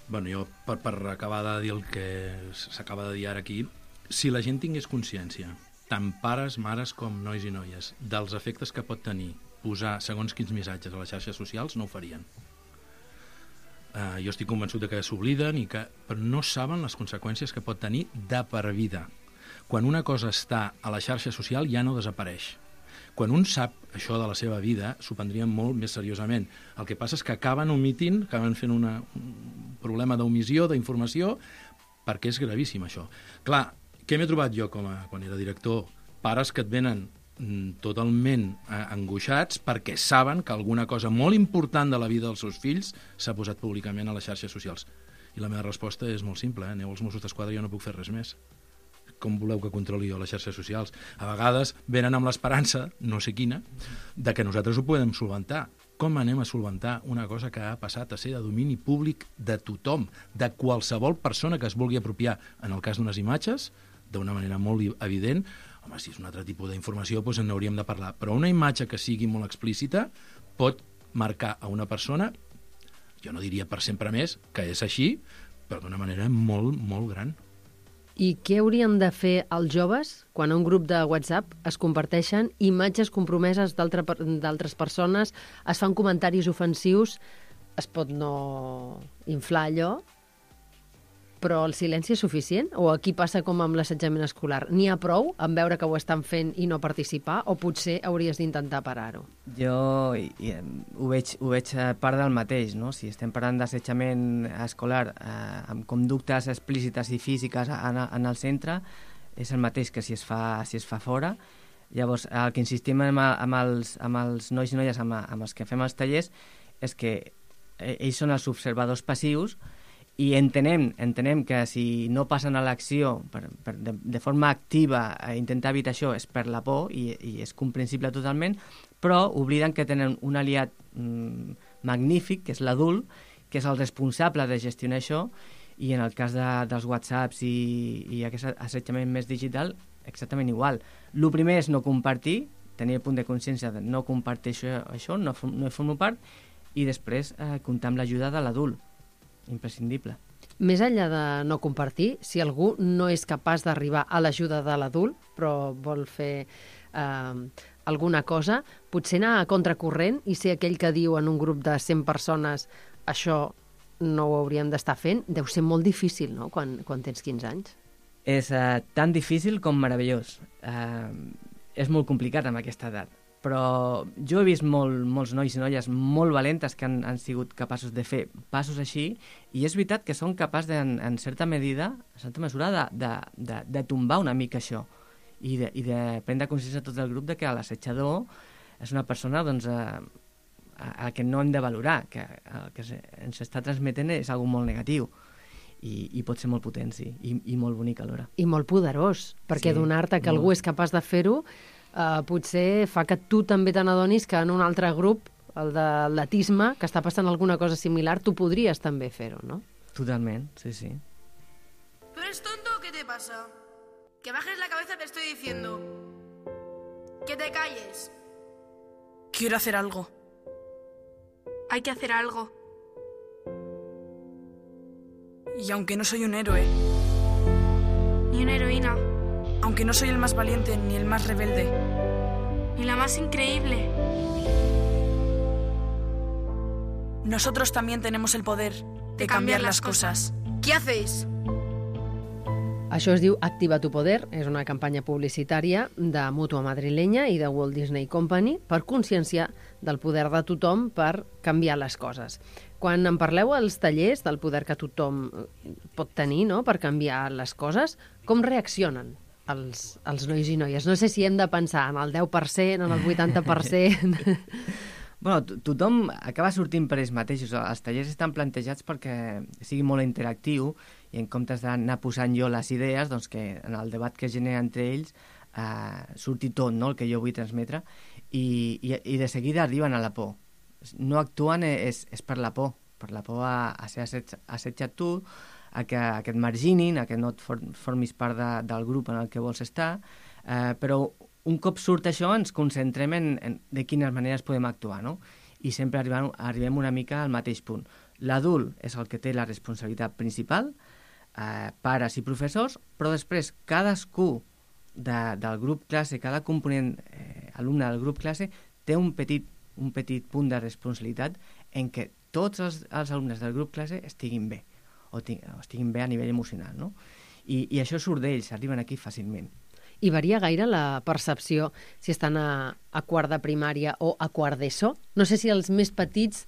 Bueno, jo, per acabar de dir el que s'acaba de dir ara aquí, si la gent tingués consciència, tant pares, mares com nois i noies, dels efectes que pot tenir posar segons quins missatges a les xarxes socials, no ho farien. Jo estic convençut de que s'obliden, però no saben les conseqüències que pot tenir de per vida. Quan una cosa està a la xarxa social ja no desapareix. Quan un sap això de la seva vida, s'ho prendrien molt més seriosament. El que passa és que acaben omitint, acaben fent un problema d'omissió, d'informació, perquè és gravíssim això. Clar, què m'he trobat jo quan era director? Pares que et venen totalment angoixats perquè saben que alguna cosa molt important de la vida dels seus fills s'ha posat públicament a les xarxes socials. I la meva resposta és molt simple, aneu als Mossos d'Esquadra i jo no puc fer res més. Com voleu que controli jo les xarxes socials? A vegades venen amb l'esperança, no sé quina, de que nosaltres ho podem solventar. Com anem a solventar una cosa que ha passat a ser de domini públic de tothom, de qualsevol persona que es vulgui apropiar, en el cas d'unes imatges, d'una manera molt evident? Home, si és un altre tipus d'informació, doncs en hauríem de parlar. Però una imatge que sigui molt explícita pot marcar a una persona, jo no diria per sempre més, que és així, però d'una manera molt, molt gran. I què haurien de fer els joves quan a un grup de WhatsApp es comparteixen imatges compromeses d'altres persones, es fan comentaris ofensius, es pot no inflar allò, però el silenci és suficient? O aquí passa com amb l'assetjament escolar? N'hi ha prou en veure que ho estan fent i no participar? O potser hauries d'intentar parar-ho? Jo ho veig part del mateix, no? Si estem parlant d'assetjament escolar amb conductes explícites i físiques en el centre, és el mateix que si es fa fora. Llavors, el que insistim amb els nois i noies amb els que fem els tallers és que ells són els observadors passius, i entenem que si no passen a l'acció de forma activa a intentar evitar això és per la por, i és comprensible totalment, però obliden que tenen un aliat magnífic, que és l'adult, que és el responsable de gestionar això, i en el cas dels WhatsApps i aquest assetjament més digital, exactament igual. El primer és no compartir, tenir el punt de consciència de no compartir això, no hi formo part, i després comptar amb l'ajuda de l'adult. Imprescindible. Més enllà de no compartir, si algú no és capaç d'arribar a l'ajuda de l'adult, però vol fer alguna cosa, potser anar a contracorrent i ser aquell que diu en un grup de 100 persones això no ho hauríem d'estar fent, deu ser molt difícil, no?, quan tens 15 anys. És tan difícil com meravellós. És molt complicat amb aquesta edat, però jo he vist molts nois i noies molt valentes que han sigut capaços de fer passos així, i és veritat que són capaços, en certa mesura, de tombar una mica això, i de prendre consciència a tot el grup de que l'assetjador és una persona doncs, a que no hem de valorar, que el que ens està transmetent és algo molt negatiu. I pot ser molt potent, sí, i molt bonic alhora. I molt poderós, perquè donar-te que algú és capaç de fer-ho potser fa que tu també te n'adonis que en un altre grup, el de l'atletisme, que està passant alguna cosa similar, tu podries també fer-ho, no? Totalment, sí, sí. ¿Tú eres tonto o qué te pasa? Que bajes la cabeza, te estoy diciendo. Que te calles. Quiero hacer algo. Hay que hacer algo. Y aunque no soy un héroe, ni una heroína, aunque no soy el más valiente ni el más rebelde, ni la más increíble, nosotros también tenemos el poder de cambiar las cosas. ¿Qué hacéis? Això es diu Activa tu poder, és una campanya publicitària de Mútua Madrilenya i de Walt Disney Company per conscienciar del poder de tothom per canviar les coses. Quan en parleu als tallers del poder que tothom pot tenir, no?, per canviar les coses, com reaccionen els nois i noies? No sé si hem de pensar en el 10%, en el 80%... Bueno, tothom acaba sortint per ells mateixos. Els tallers estan plantejats perquè sigui molt interactiu i en comptes d'anar posant jo les idees, doncs que en el debat que genera entre ells surti tot, no?, el que jo vull transmetre, i de seguida arriben a la por. No actuen és per la por a ser assetjat tu, a que et marginin, a que no et formis part del grup en el que vols estar, però un cop surt això ens concentrem en de quines maneres podem actuar, no? I sempre arribem una mica al mateix punt. L'adult és el que té la responsabilitat principal, pares i professors, però després cadascú del grup classe, cada component alumne del grup classe té un petit punt de responsabilitat en què tots els alumnes del grup classe estiguin bé, o estiguin bé a nivell emocional, no? I això surt d'ells, arriben aquí fàcilment. I varia gaire la percepció si estan a quart de primària o a quart d'ESO? No sé si els més petits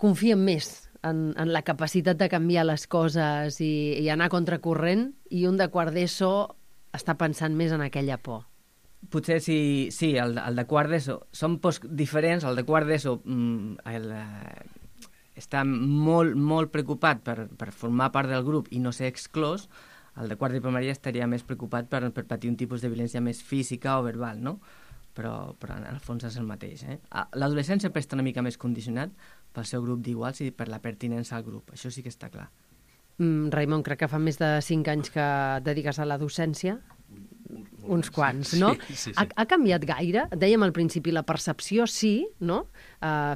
confien més en la capacitat de canviar les coses i anar a contracorrent, i un de quart d'ESO està pensant més en aquella por. Potser sí, el de quart d'ESO són pors diferents. El de quart d'ESO està molt preocupat per formar part del grup i no ser exclòs. El de quart de primària estaria més preocupat per patir un tipus de violència més física o verbal, no? Però en el fons és el mateix. L'adolescent sempre està una mica més condicionat pel seu grup d'iguals i per la pertinença al grup. Això sí que està clar. Raimon, crec que fa més de 5 anys que et dediques a la docència. Uns quants, no? Sí. Ha canviat gaire? Dèiem al principi, la percepció sí, no?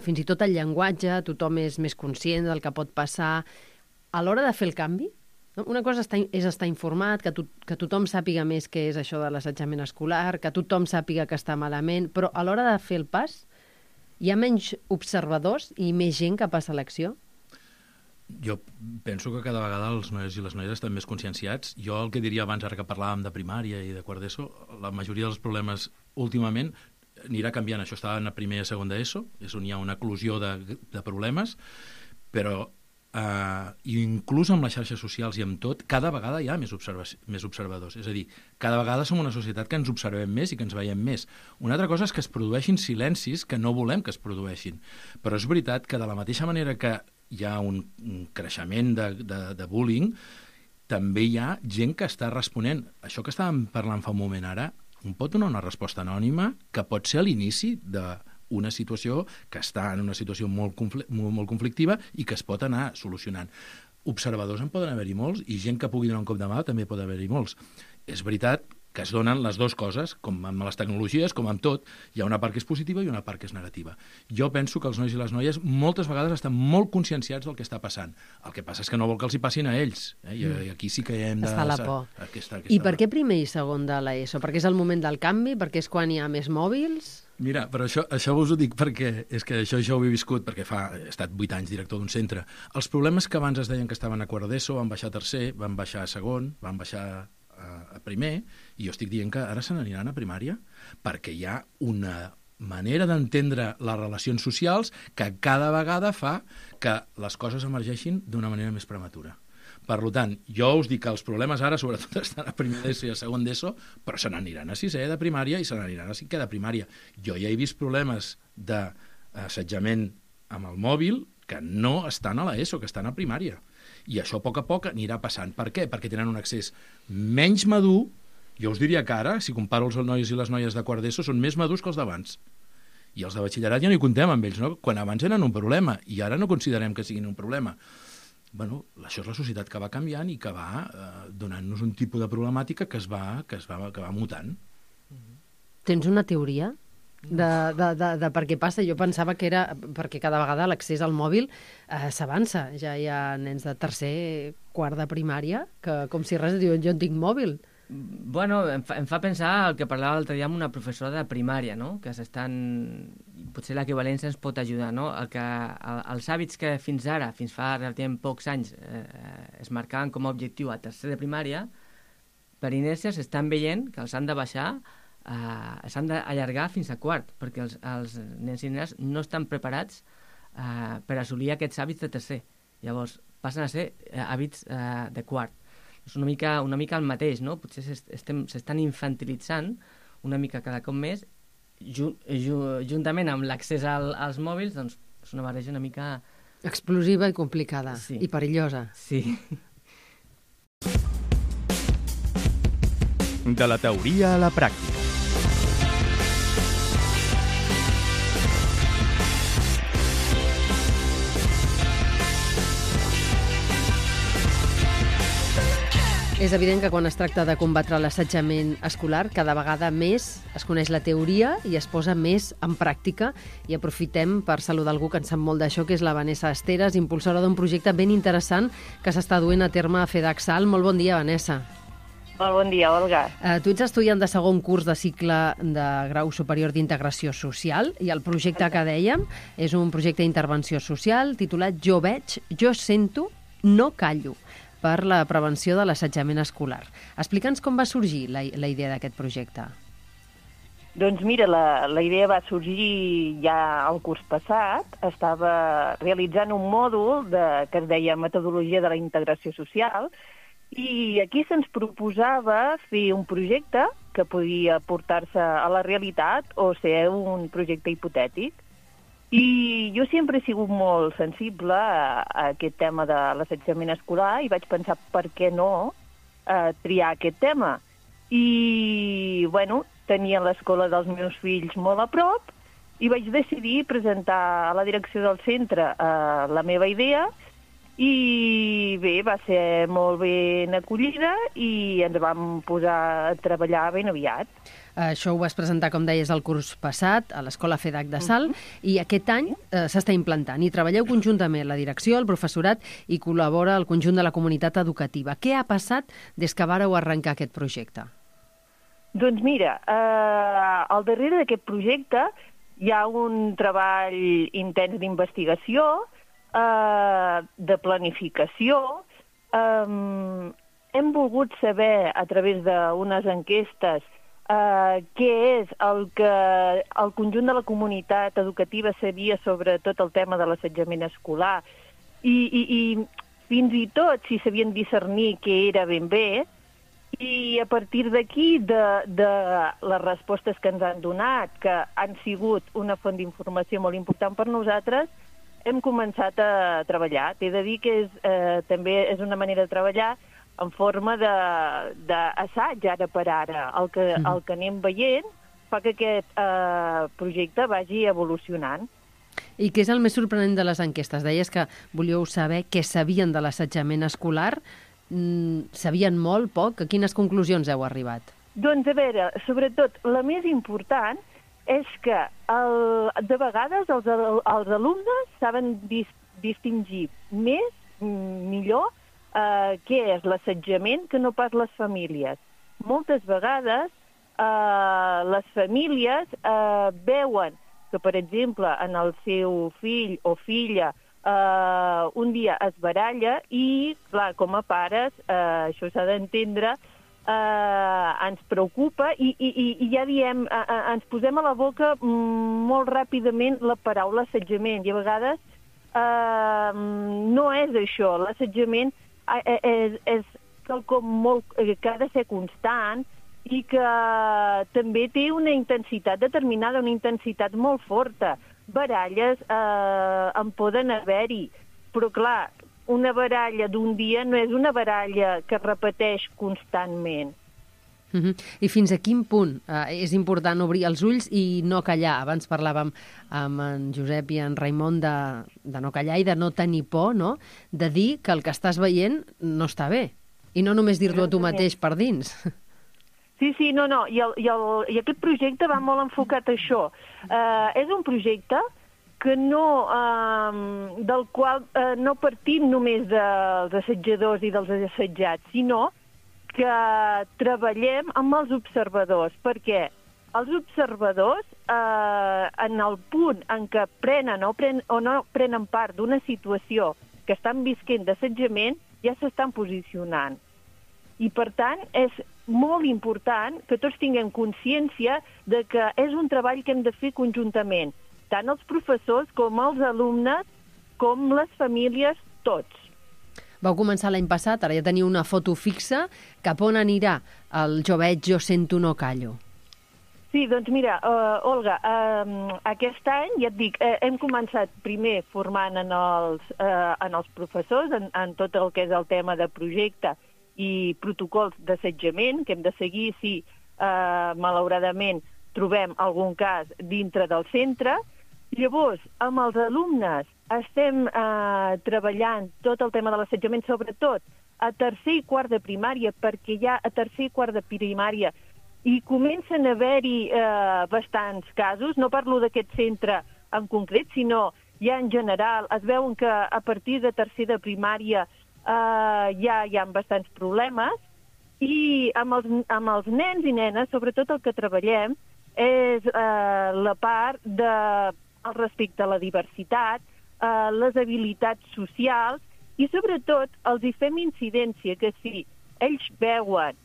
Fins i tot el llenguatge, tothom és més conscient del que pot passar. A l'hora de fer el canvi, una cosa és estar informat, que tothom sàpiga més què és això de l'assetjament escolar, que tothom sàpiga que està malament, però a l'hora de fer el pas hi ha menys observadors i més gent que passa a l'acció? Jo penso que cada vegada els nois i les noies estan més conscienciats. Jo el que diria abans, ara que parlàvem de primària i de quart d'ESO, la majoria dels problemes últimament anirà canviant. Això estava en la primera i segona d'ESO, és on hi ha una eclosió de problemes, però inclús amb les xarxes socials i amb tot, cada vegada hi ha més observadors. És a dir, cada vegada som una societat que ens observem més i que ens veiem més. Una altra cosa és que es produeixin silencis que no volem que es produeixin. Però és veritat que de la mateixa manera que hi ha un creixement de bullying, també hi ha gent que està responent. Això que estàvem parlant fa un moment ara, un pot donar una resposta anònima que pot ser a l'inici d'una situació que està en una situació molt conflictiva i que es pot anar solucionant. Observadors en poden haver-hi molts i gent que pugui donar un cop de mà també pot haver-hi molts. És veritat que es donen les dues coses, com amb les tecnologies, com amb tot. Hi ha una part que és positiva i una part que és negativa. Jo penso que els nois i les noies moltes vegades estan molt conscienciats del que està passant. El que passa és que no vol que els hi passin a ells. I aquí sí que hem de... Està la por. I per què primer i segon de l'ESO? Perquè és el moment del canvi? Perquè és quan hi ha més mòbils? Mira, però això us ho dic perquè és que això jo ho he viscut, perquè he estat 8 anys director d'un centre. Els problemes que abans es deien que estaven a quart d'ESO van baixar a tercer, van baixar a segon, van baixar a primer, i jo estic dient que ara se n'aniran a primària, perquè hi ha una manera d'entendre les relacions socials que cada vegada fa que les coses emergeixin d'una manera més prematura. Per tant, jo us dic que els problemes ara sobretot estan a primer d'ESO i a segon d'ESO, però se n'aniran a sisè de primària i se n'aniran a cinquè de primària. Jo ja he vist problemes d'assetjament amb el mòbil que no estan a l'ESO, que estan a primària. I això a poc anirà passant. Per què? Perquè tenen un accés menys madur. Jo us diria que ara, si comparo els nois i les noies de quart d'ESO, són més madurs que els d'abans. I els de batxillerat ja no hi contem amb ells, no? Quan abans eren un problema, i ara no considerem que siguin un problema. Bueno, això és la societat que va canviant i que va donant-nos un tipus de problemàtica que va mutant. Tens una teoria de per què passa? Jo pensava que era perquè cada vegada l'accés al mòbil s'avança. Ja hi ha nens de tercer, quart de primària, que com si res diuen jo en tinc mòbil. Bueno, em fa pensar el que parlava l'altre dia amb una professora de primària, no? Que potser l'equivalència ens pot ajudar, no? Els hàbits que fins ara, fins fa relativament pocs anys, es marcaven com a objectiu a tercer de primària, per inèrcia s'estan veient que els han de baixar, s'han d'allargar fins a quart, perquè els nens i nenes no estan preparats per assolir aquests hàbits de tercer. Llavors, passen a ser hàbits de quart. És una mica el mateix, no? Potser s'estan infantilitzant una mica cada cop més, juntament amb l'accés als mòbils, doncs és una barreja una mica... Explosiva i complicada, sí. I perillosa. Sí. De la teoria a la pràctica. És evident que quan es tracta de combatre l'assetjament escolar, cada vegada més es coneix la teoria i es posa més en pràctica, i aprofitem per saludar algú que en sap molt d'això, que és la Vanessa Esteres, impulsora d'un projecte ben interessant que s'està duent a terme a FEDAC-SAL. Molt bon dia, Vanessa. Molt bon dia, Olga. Tu ets estudiant de segon curs de cicle de grau superior d'integració social, i el projecte que dèiem és un projecte d'intervenció social titulat Jo veig, jo sento, no callo, per la prevenció de l'assetjament escolar. Explica'ns com va sorgir la idea d'aquest projecte. Doncs mira, la idea va sorgir ja el curs passat. Estava realitzant un mòdul que es deia Metodologia de la Integració Social, i aquí se'ns proposava fer un projecte que podia portar-se a la realitat o ser un projecte hipotètic. I jo sempre he sigut molt sensible a aquest tema de l'assetjament escolar i vaig pensar per què no triar aquest tema. I, bueno, tenia l'escola dels meus fills molt a prop i vaig decidir presentar a la direcció del centre la meva idea, i bé, va ser molt ben acollida i ens vam posar a treballar ben aviat. Això ho vas presentar, com deies, el curs passat a l'Escola FEDAC de Salt, i aquest any s'està implantant. I treballeu conjuntament la direcció, el professorat, i col·labora el conjunt de la comunitat educativa. Què ha passat des que vàreu arrencar aquest projecte? Doncs mira, al darrere d'aquest projecte hi ha un treball intens d'investigació, de planificació. Hem volgut saber, a través d'unes enquestes, què és el que el conjunt de la comunitat educativa sabia sobre tot el tema de l'assetjament escolar, i fins i tot si sabien discernir què era ben bé, i a partir d'aquí, de les respostes que ens han donat, que han sigut una font d'informació molt important per nosaltres, hem començat a treballar. T'he de dir que també és una manera de treballar en forma d'assaig, ara per ara. El que anem veient fa que aquest projecte vagi evolucionant. I què és el més sorprenent de les enquestes? Deies que volíeu saber què sabien de l'assetjament escolar. Sabien molt, poc? A quines conclusions heu arribat? Doncs, a veure, sobretot, la més important és que de vegades els alumnes saben distingir millor què és l'assetjament que no pas les famílies. Moltes vegades les famílies veuen que, per exemple, en el seu fill o filla un dia es baralla i, clar, com a pares, això s'ha d'entendre, ens preocupa i ja diem, ens posem a la boca molt ràpidament la paraula assetjament i a vegades no és això. L'assetjament és quelcom que ha de ser constant i que també té una intensitat determinada, una intensitat molt forta. Baralles en poden haver-hi, però clar, una baralla d'un dia no és una baralla que es repeteix constantment. I fins a quin punt és important obrir els ulls i no callar? Abans parlàvem amb en Josep i en Raimon de no callar i de no tenir por, no? De dir que el que estàs veient no està bé. I no només dir-t'ho a tu mateix per dins. Sí, no. I aquest projecte va molt enfocat a això. És un projecte que del qual no partim només dels assetjadors i dels assetjats, sinó que treballem amb els observadors, perquè els observadors, en el punt en què prenen o no prenen part d'una situació que estan visquent d'assetjament, ja s'estan posicionant. I, per tant, és molt important que tots tinguem consciència de que és un treball que hem de fer conjuntament, tant els professors com els alumnes, com les famílies, tots. Vau començar l'any passat, ara ja teniu una foto fixa. Cap on anirà el Jo veig, jo sento, no callo? Sí, doncs mira, Olga, aquest any, ja et dic, hem començat primer formant en els professors, en tot el que és el tema de projecte i protocols d'assetjament que hem de seguir si malauradament trobem algun cas dintre del centre. Llavors, amb els alumnes estem treballant tot el tema de l'assetjament, sobretot a tercer i quart de primària, perquè ja a tercer i quart de primària i comencen a haver-hi bastants casos. No parlo d'aquest centre en concret, sinó ja en general. Es veuen que a partir de tercer de primària ja hi ha bastants problemes i amb els nens i nenes, sobretot el que treballem és la part el respecte a la diversitat, les habilitats socials i sobretot els hi fem incidència que si ells veuen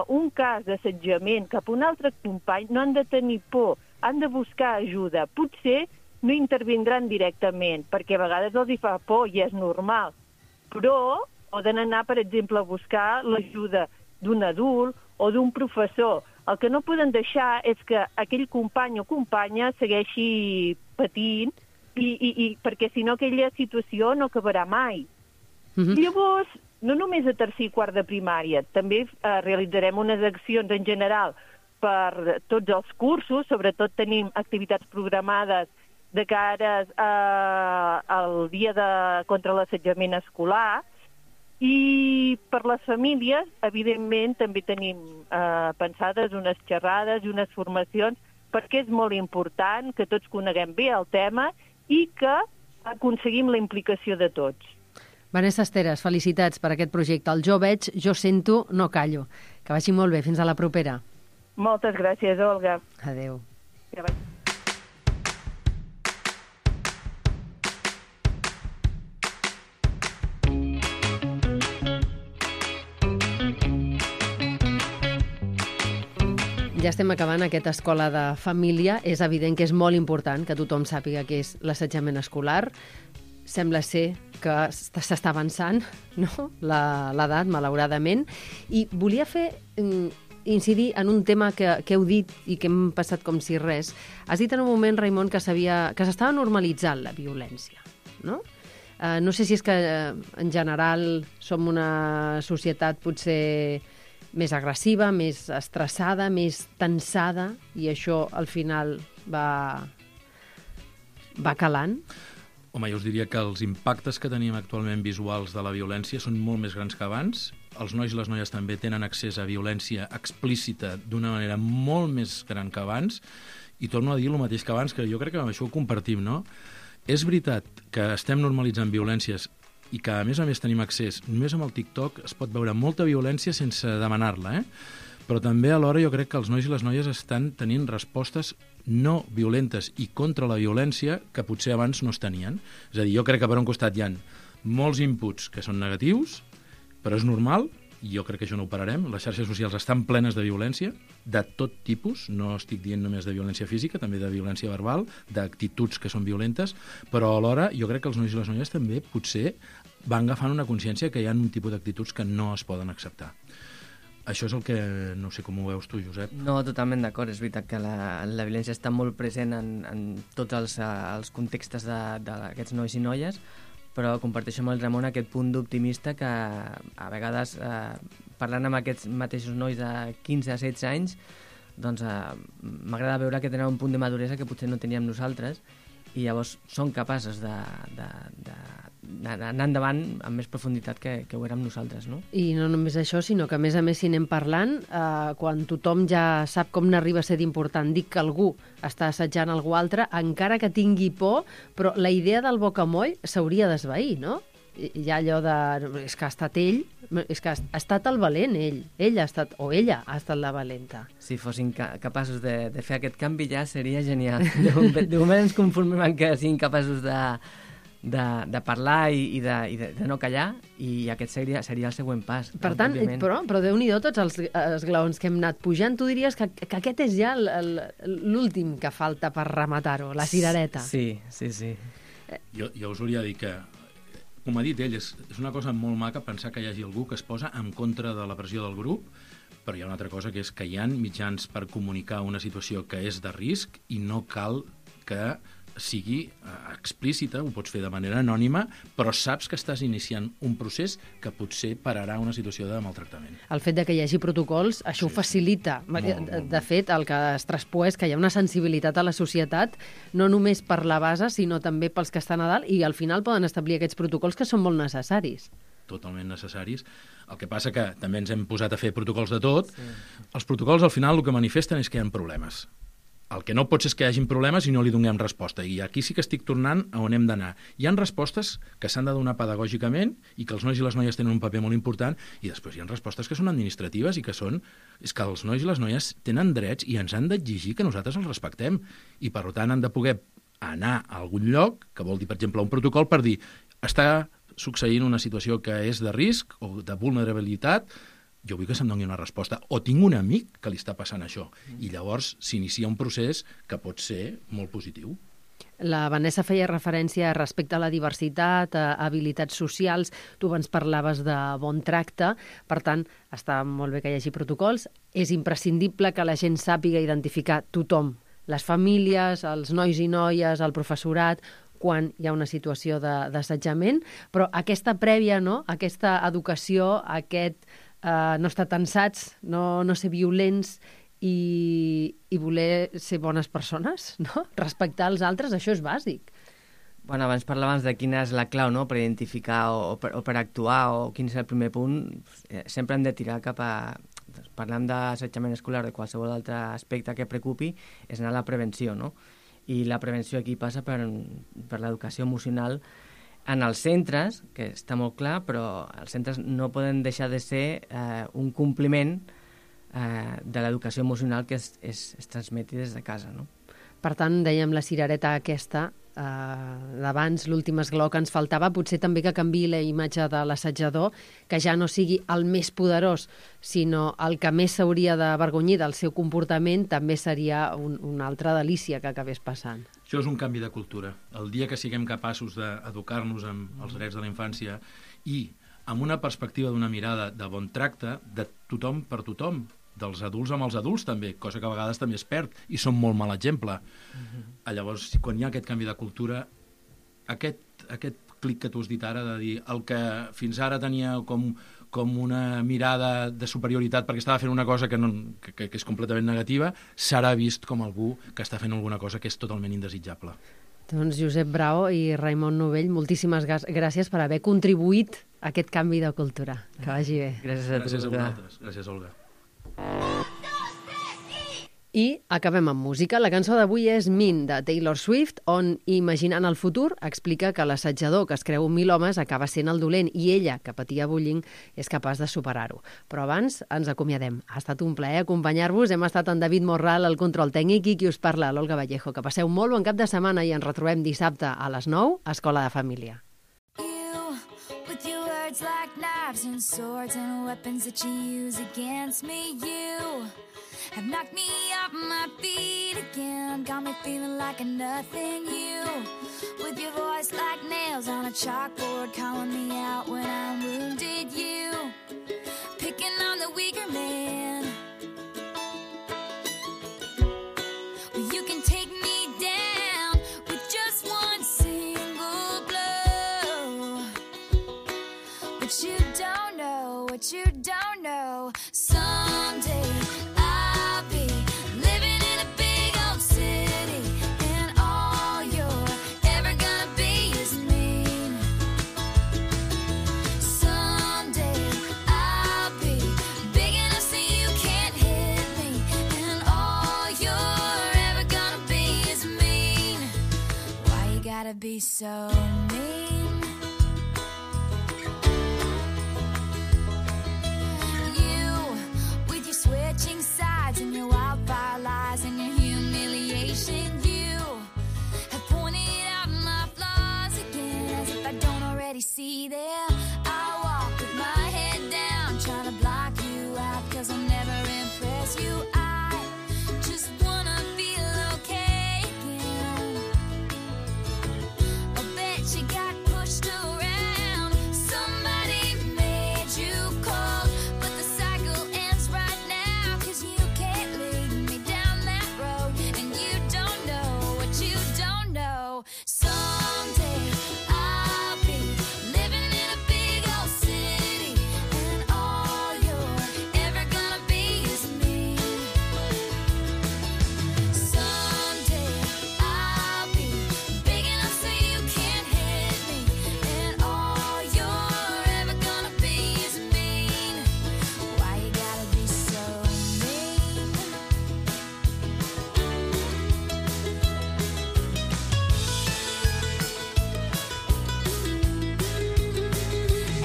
un cas d'assetjament cap a un altre company no han de tenir por, han de buscar ajuda. Potser no intervindran directament perquè a vegades els hi fa por i és normal, però poden anar, per exemple, a buscar l'ajuda d'un adult o d'un professor. El que no poden deixar és que aquell company o companya segueixi patint perquè si no aquella situació no acabarà mai. Llavors, no només a tercer i quart de primària, també realitzarem unes accions en general per tots els cursos, sobretot tenim activitats programades de cara al dia contra l'assetjament escolar, i per les famílies, evidentment, també tenim pensades unes xerrades i unes formacions perquè és molt important que tots coneguem bé el tema i que aconseguim la implicació de tots. Vanessa Esteres, felicitats per aquest projecte. El Jo veig, jo sento, no callo. Que vagi molt bé. Fins a la propera. Moltes gràcies, Olga. Adéu. Ja estem acabant aquesta escola de família. És evident que és molt important que tothom sàpiga què és l'assetjament escolar. Sembla ser que s'està avançant, no?, l'edat, malauradament. I volia incidir en un tema que heu dit i que hem passat com si res. Has dit en un moment, Raimon, que s'estava normalitzant la violència, no? No sé si és que en general som una societat potser més agressiva, més estressada, més tensada, i això al final va calant. Home, jo us diria que els impactes que tenim actualment visuals de la violència són molt més grans que abans. Els nois i les noies també tenen accés a violència explícita d'una manera molt més gran que abans, i torno a dir el mateix que abans, que jo crec que amb això ho compartim, no? És veritat que estem normalitzant violències i que, a més tenim accés. Només amb el TikTok es pot veure molta violència sense demanar-la, Però també alhora jo crec que els nois i les noies estan tenint respostes no violentes i contra la violència que potser abans no es tenien. És a dir, jo crec que per un costat hi ha molts inputs que són negatius, però és normal jo crec que això no ho pararem. Les xarxes socials estan plenes de violència, de tot tipus, no estic dient només de violència física, també de violència verbal, d'actituds que són violentes, però alhora jo crec que els nois i les noies també potser van agafant una consciència que hi ha un tipus d'actituds que no es poden acceptar. Això és el que, no sé com ho veus tu, Josep. No, totalment d'acord. És veritat que la violència està molt present en tots els contextes d'aquests nois i noies, però comparteixo amb el Ramon aquest punt d'optimista que a vegades, parlant amb aquests mateixos nois de 15 a 16 anys, doncs m'agrada veure que tenen un punt de maduresa que potser no teníem nosaltres, i llavors són capaços d'anar endavant amb més profunditat que ho érem nosaltres, no? I no només això, sinó que a més, si anem parlant, quan tothom ja sap com n'arriba a ser d'important, dic que algú està assetjant algú altre, encara que tingui por, però la idea del bocamoll s'hauria d'esvair, no? Hi ha allò de... és que ha estat ell, és que ha estat el valent, ell ha estat, o ella ha estat la valenta. Si fossin capaços de fer aquest canvi ja seria genial. De moment ens conformem en que siguin capaços de parlar i de no callar, i aquest seria el següent pas. Per tant, però Déu-n'hi-do tots els esglaons que hem anat pujant, tu diries que aquest és ja l'últim que falta per rematar-ho, la cirereta. Sí. Jo us hauria de dir que, com ha dit ell, és una cosa molt maca pensar que hi hagi algú que es posa en contra de la pressió del grup, però hi ha una altra cosa, que és que hi ha mitjans per comunicar una situació que és de risc i no cal que sigui explícita, ho pots fer de manera anònima, però saps que estàs iniciant un procés que potser pararà una situació de maltractament. El fet de que hi hagi protocols, això ho facilita. De fet, el que es traspua és que hi ha una sensibilitat a la societat, no només per la base, sinó també pels que estan a dalt, i al final poden establir aquests protocols que són molt necessaris. Totalment necessaris. El que passa que també ens hem posat a fer protocols de tot. Sí. Els protocols, al final, el que manifesten és que hi ha problemes. El que no pot ser és que hi hagin problemes i no li donem resposta. I aquí sí que estic tornant a on hem d'anar. Hi ha respostes que s'han de donar pedagògicament i que els nois i les noies tenen un paper molt important, i després hi ha respostes que són administratives i que són... És que els nois i les noies tenen drets i ens han d'exigir que nosaltres els respectem. I, per tant, han de poder anar a algun lloc, que vol dir, per exemple, un protocol per dir està succeint una situació que és de risc o de vulnerabilitat, jo vull que se'm doni una resposta, o tinc un amic que li està passant això, i llavors s'inicia un procés que pot ser molt positiu. La Vanessa feia referència respecte a la diversitat, a habilitats socials, tu abans parlaves de bon tracte, per tant, està molt bé que hi hagi protocols, és imprescindible que la gent sàpiga identificar tothom, les famílies, els nois i noies, el professorat, quan hi ha una situació d'assetjament, però aquesta prèvia, no? Aquesta educació, no estar tensats, no ser violents i voler ser bones persones, no? Respectar els altres, això és bàsic. Bueno, abans parlàvem de quina és la clau, no?, per identificar o per actuar, o quin és el primer punt. Sempre hem de tirar cap a... Parlant d'assetjament escolar, de qualsevol altre aspecte que preocupi, és anar a la prevenció, no? I la prevenció aquí passa per l'educació emocional en els centres, que està molt clar, però els centres no poden deixar de ser un compliment de l'educació emocional que es transmeti des de casa, no? Per tant, dèiem la cirereta aquesta d'abans, l'últim esglaó que ens faltava, potser també que canviï la imatge de l'assajador, que ja no sigui el més poderós, sinó el que més s'hauria d'avergonyir del seu comportament, també seria una altra delícia que acabés passant. Això és un canvi de cultura. El dia que siguem capaços d'educar-nos amb els drets de la infància i amb una perspectiva d'una mirada de bon tracte de tothom per tothom, dels adults amb els adults també, cosa que a vegades també es perd i són molt mal exemple. Llavors, quan hi ha aquest canvi de cultura, aquest clic que tu has dit ara, de dir el que fins ara tenia com una mirada de superioritat perquè estava fent una cosa que és completament negativa, serà vist com algú que està fent alguna cosa que és totalment indesitjable. Doncs Josep Brao i Raimon Novell, moltíssimes gràcies per haver contribuït a aquest canvi de cultura. Que vagi bé. Gràcies a vosaltres. Gràcies, Olga. I acabem amb música. La cançó d'avui és Mean, de Taylor Swift, on, imaginant el futur, explica que l'assetjador que es creu 1.000 homes acaba sent el dolent i ella, que patia bullying, és capaç de superar-ho. Però abans ens acomiadem. Ha estat un plaer acompanyar-vos. Hem estat en David Morral, al control tècnic, i qui us parla, l'Olga Vallejo. Que passeu molt bon cap de setmana i ens retrobem dissabte a les 9 a Escola de Família. You, with your words like knives and swords and weapons that you use against me. You have knocked me off my feet again, got me feeling like a nothing. You, with your voice like nails on a chalkboard, calling me out when I'm wounded. You, picking on the weaker man. Well, you can take me down with just one single blow. But you don't know what you don't know. Someday I'll be living in a big old city, and all you're ever gonna be is mean. Someday I'll be big enough so you can't hit me, and all you're ever gonna be is mean. Why you gotta be so mean? Switching sides and your wildfire lies and your humiliation. You have pointed out my flaws again, as if I don't already see them. I walk with my head down, trying to block you out, 'cause I'll never impress you. I just wanna feel okay again. I bet you got pushed around, somebody made you cold, but the cycle ends right now, 'cause you can't lead me down that road, and you don't know what you don't know. Someday I'll be living in a big old city, and all you're ever gonna be is me. Someday I'll be big enough so you can't hit me, and all you're ever gonna be is mean. Why you gotta be so mean?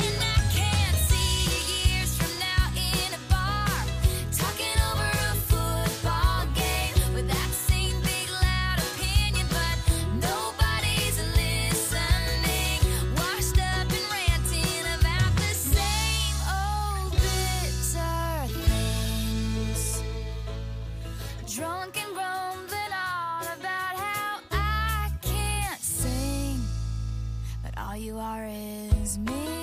And I can't see you years from now in a bar, talking over a football game with that same big loud opinion, but nobody's listening, washed up and ranting about the same old bitter things, drunk and grumbling on about how I can't sing, but all you are is me.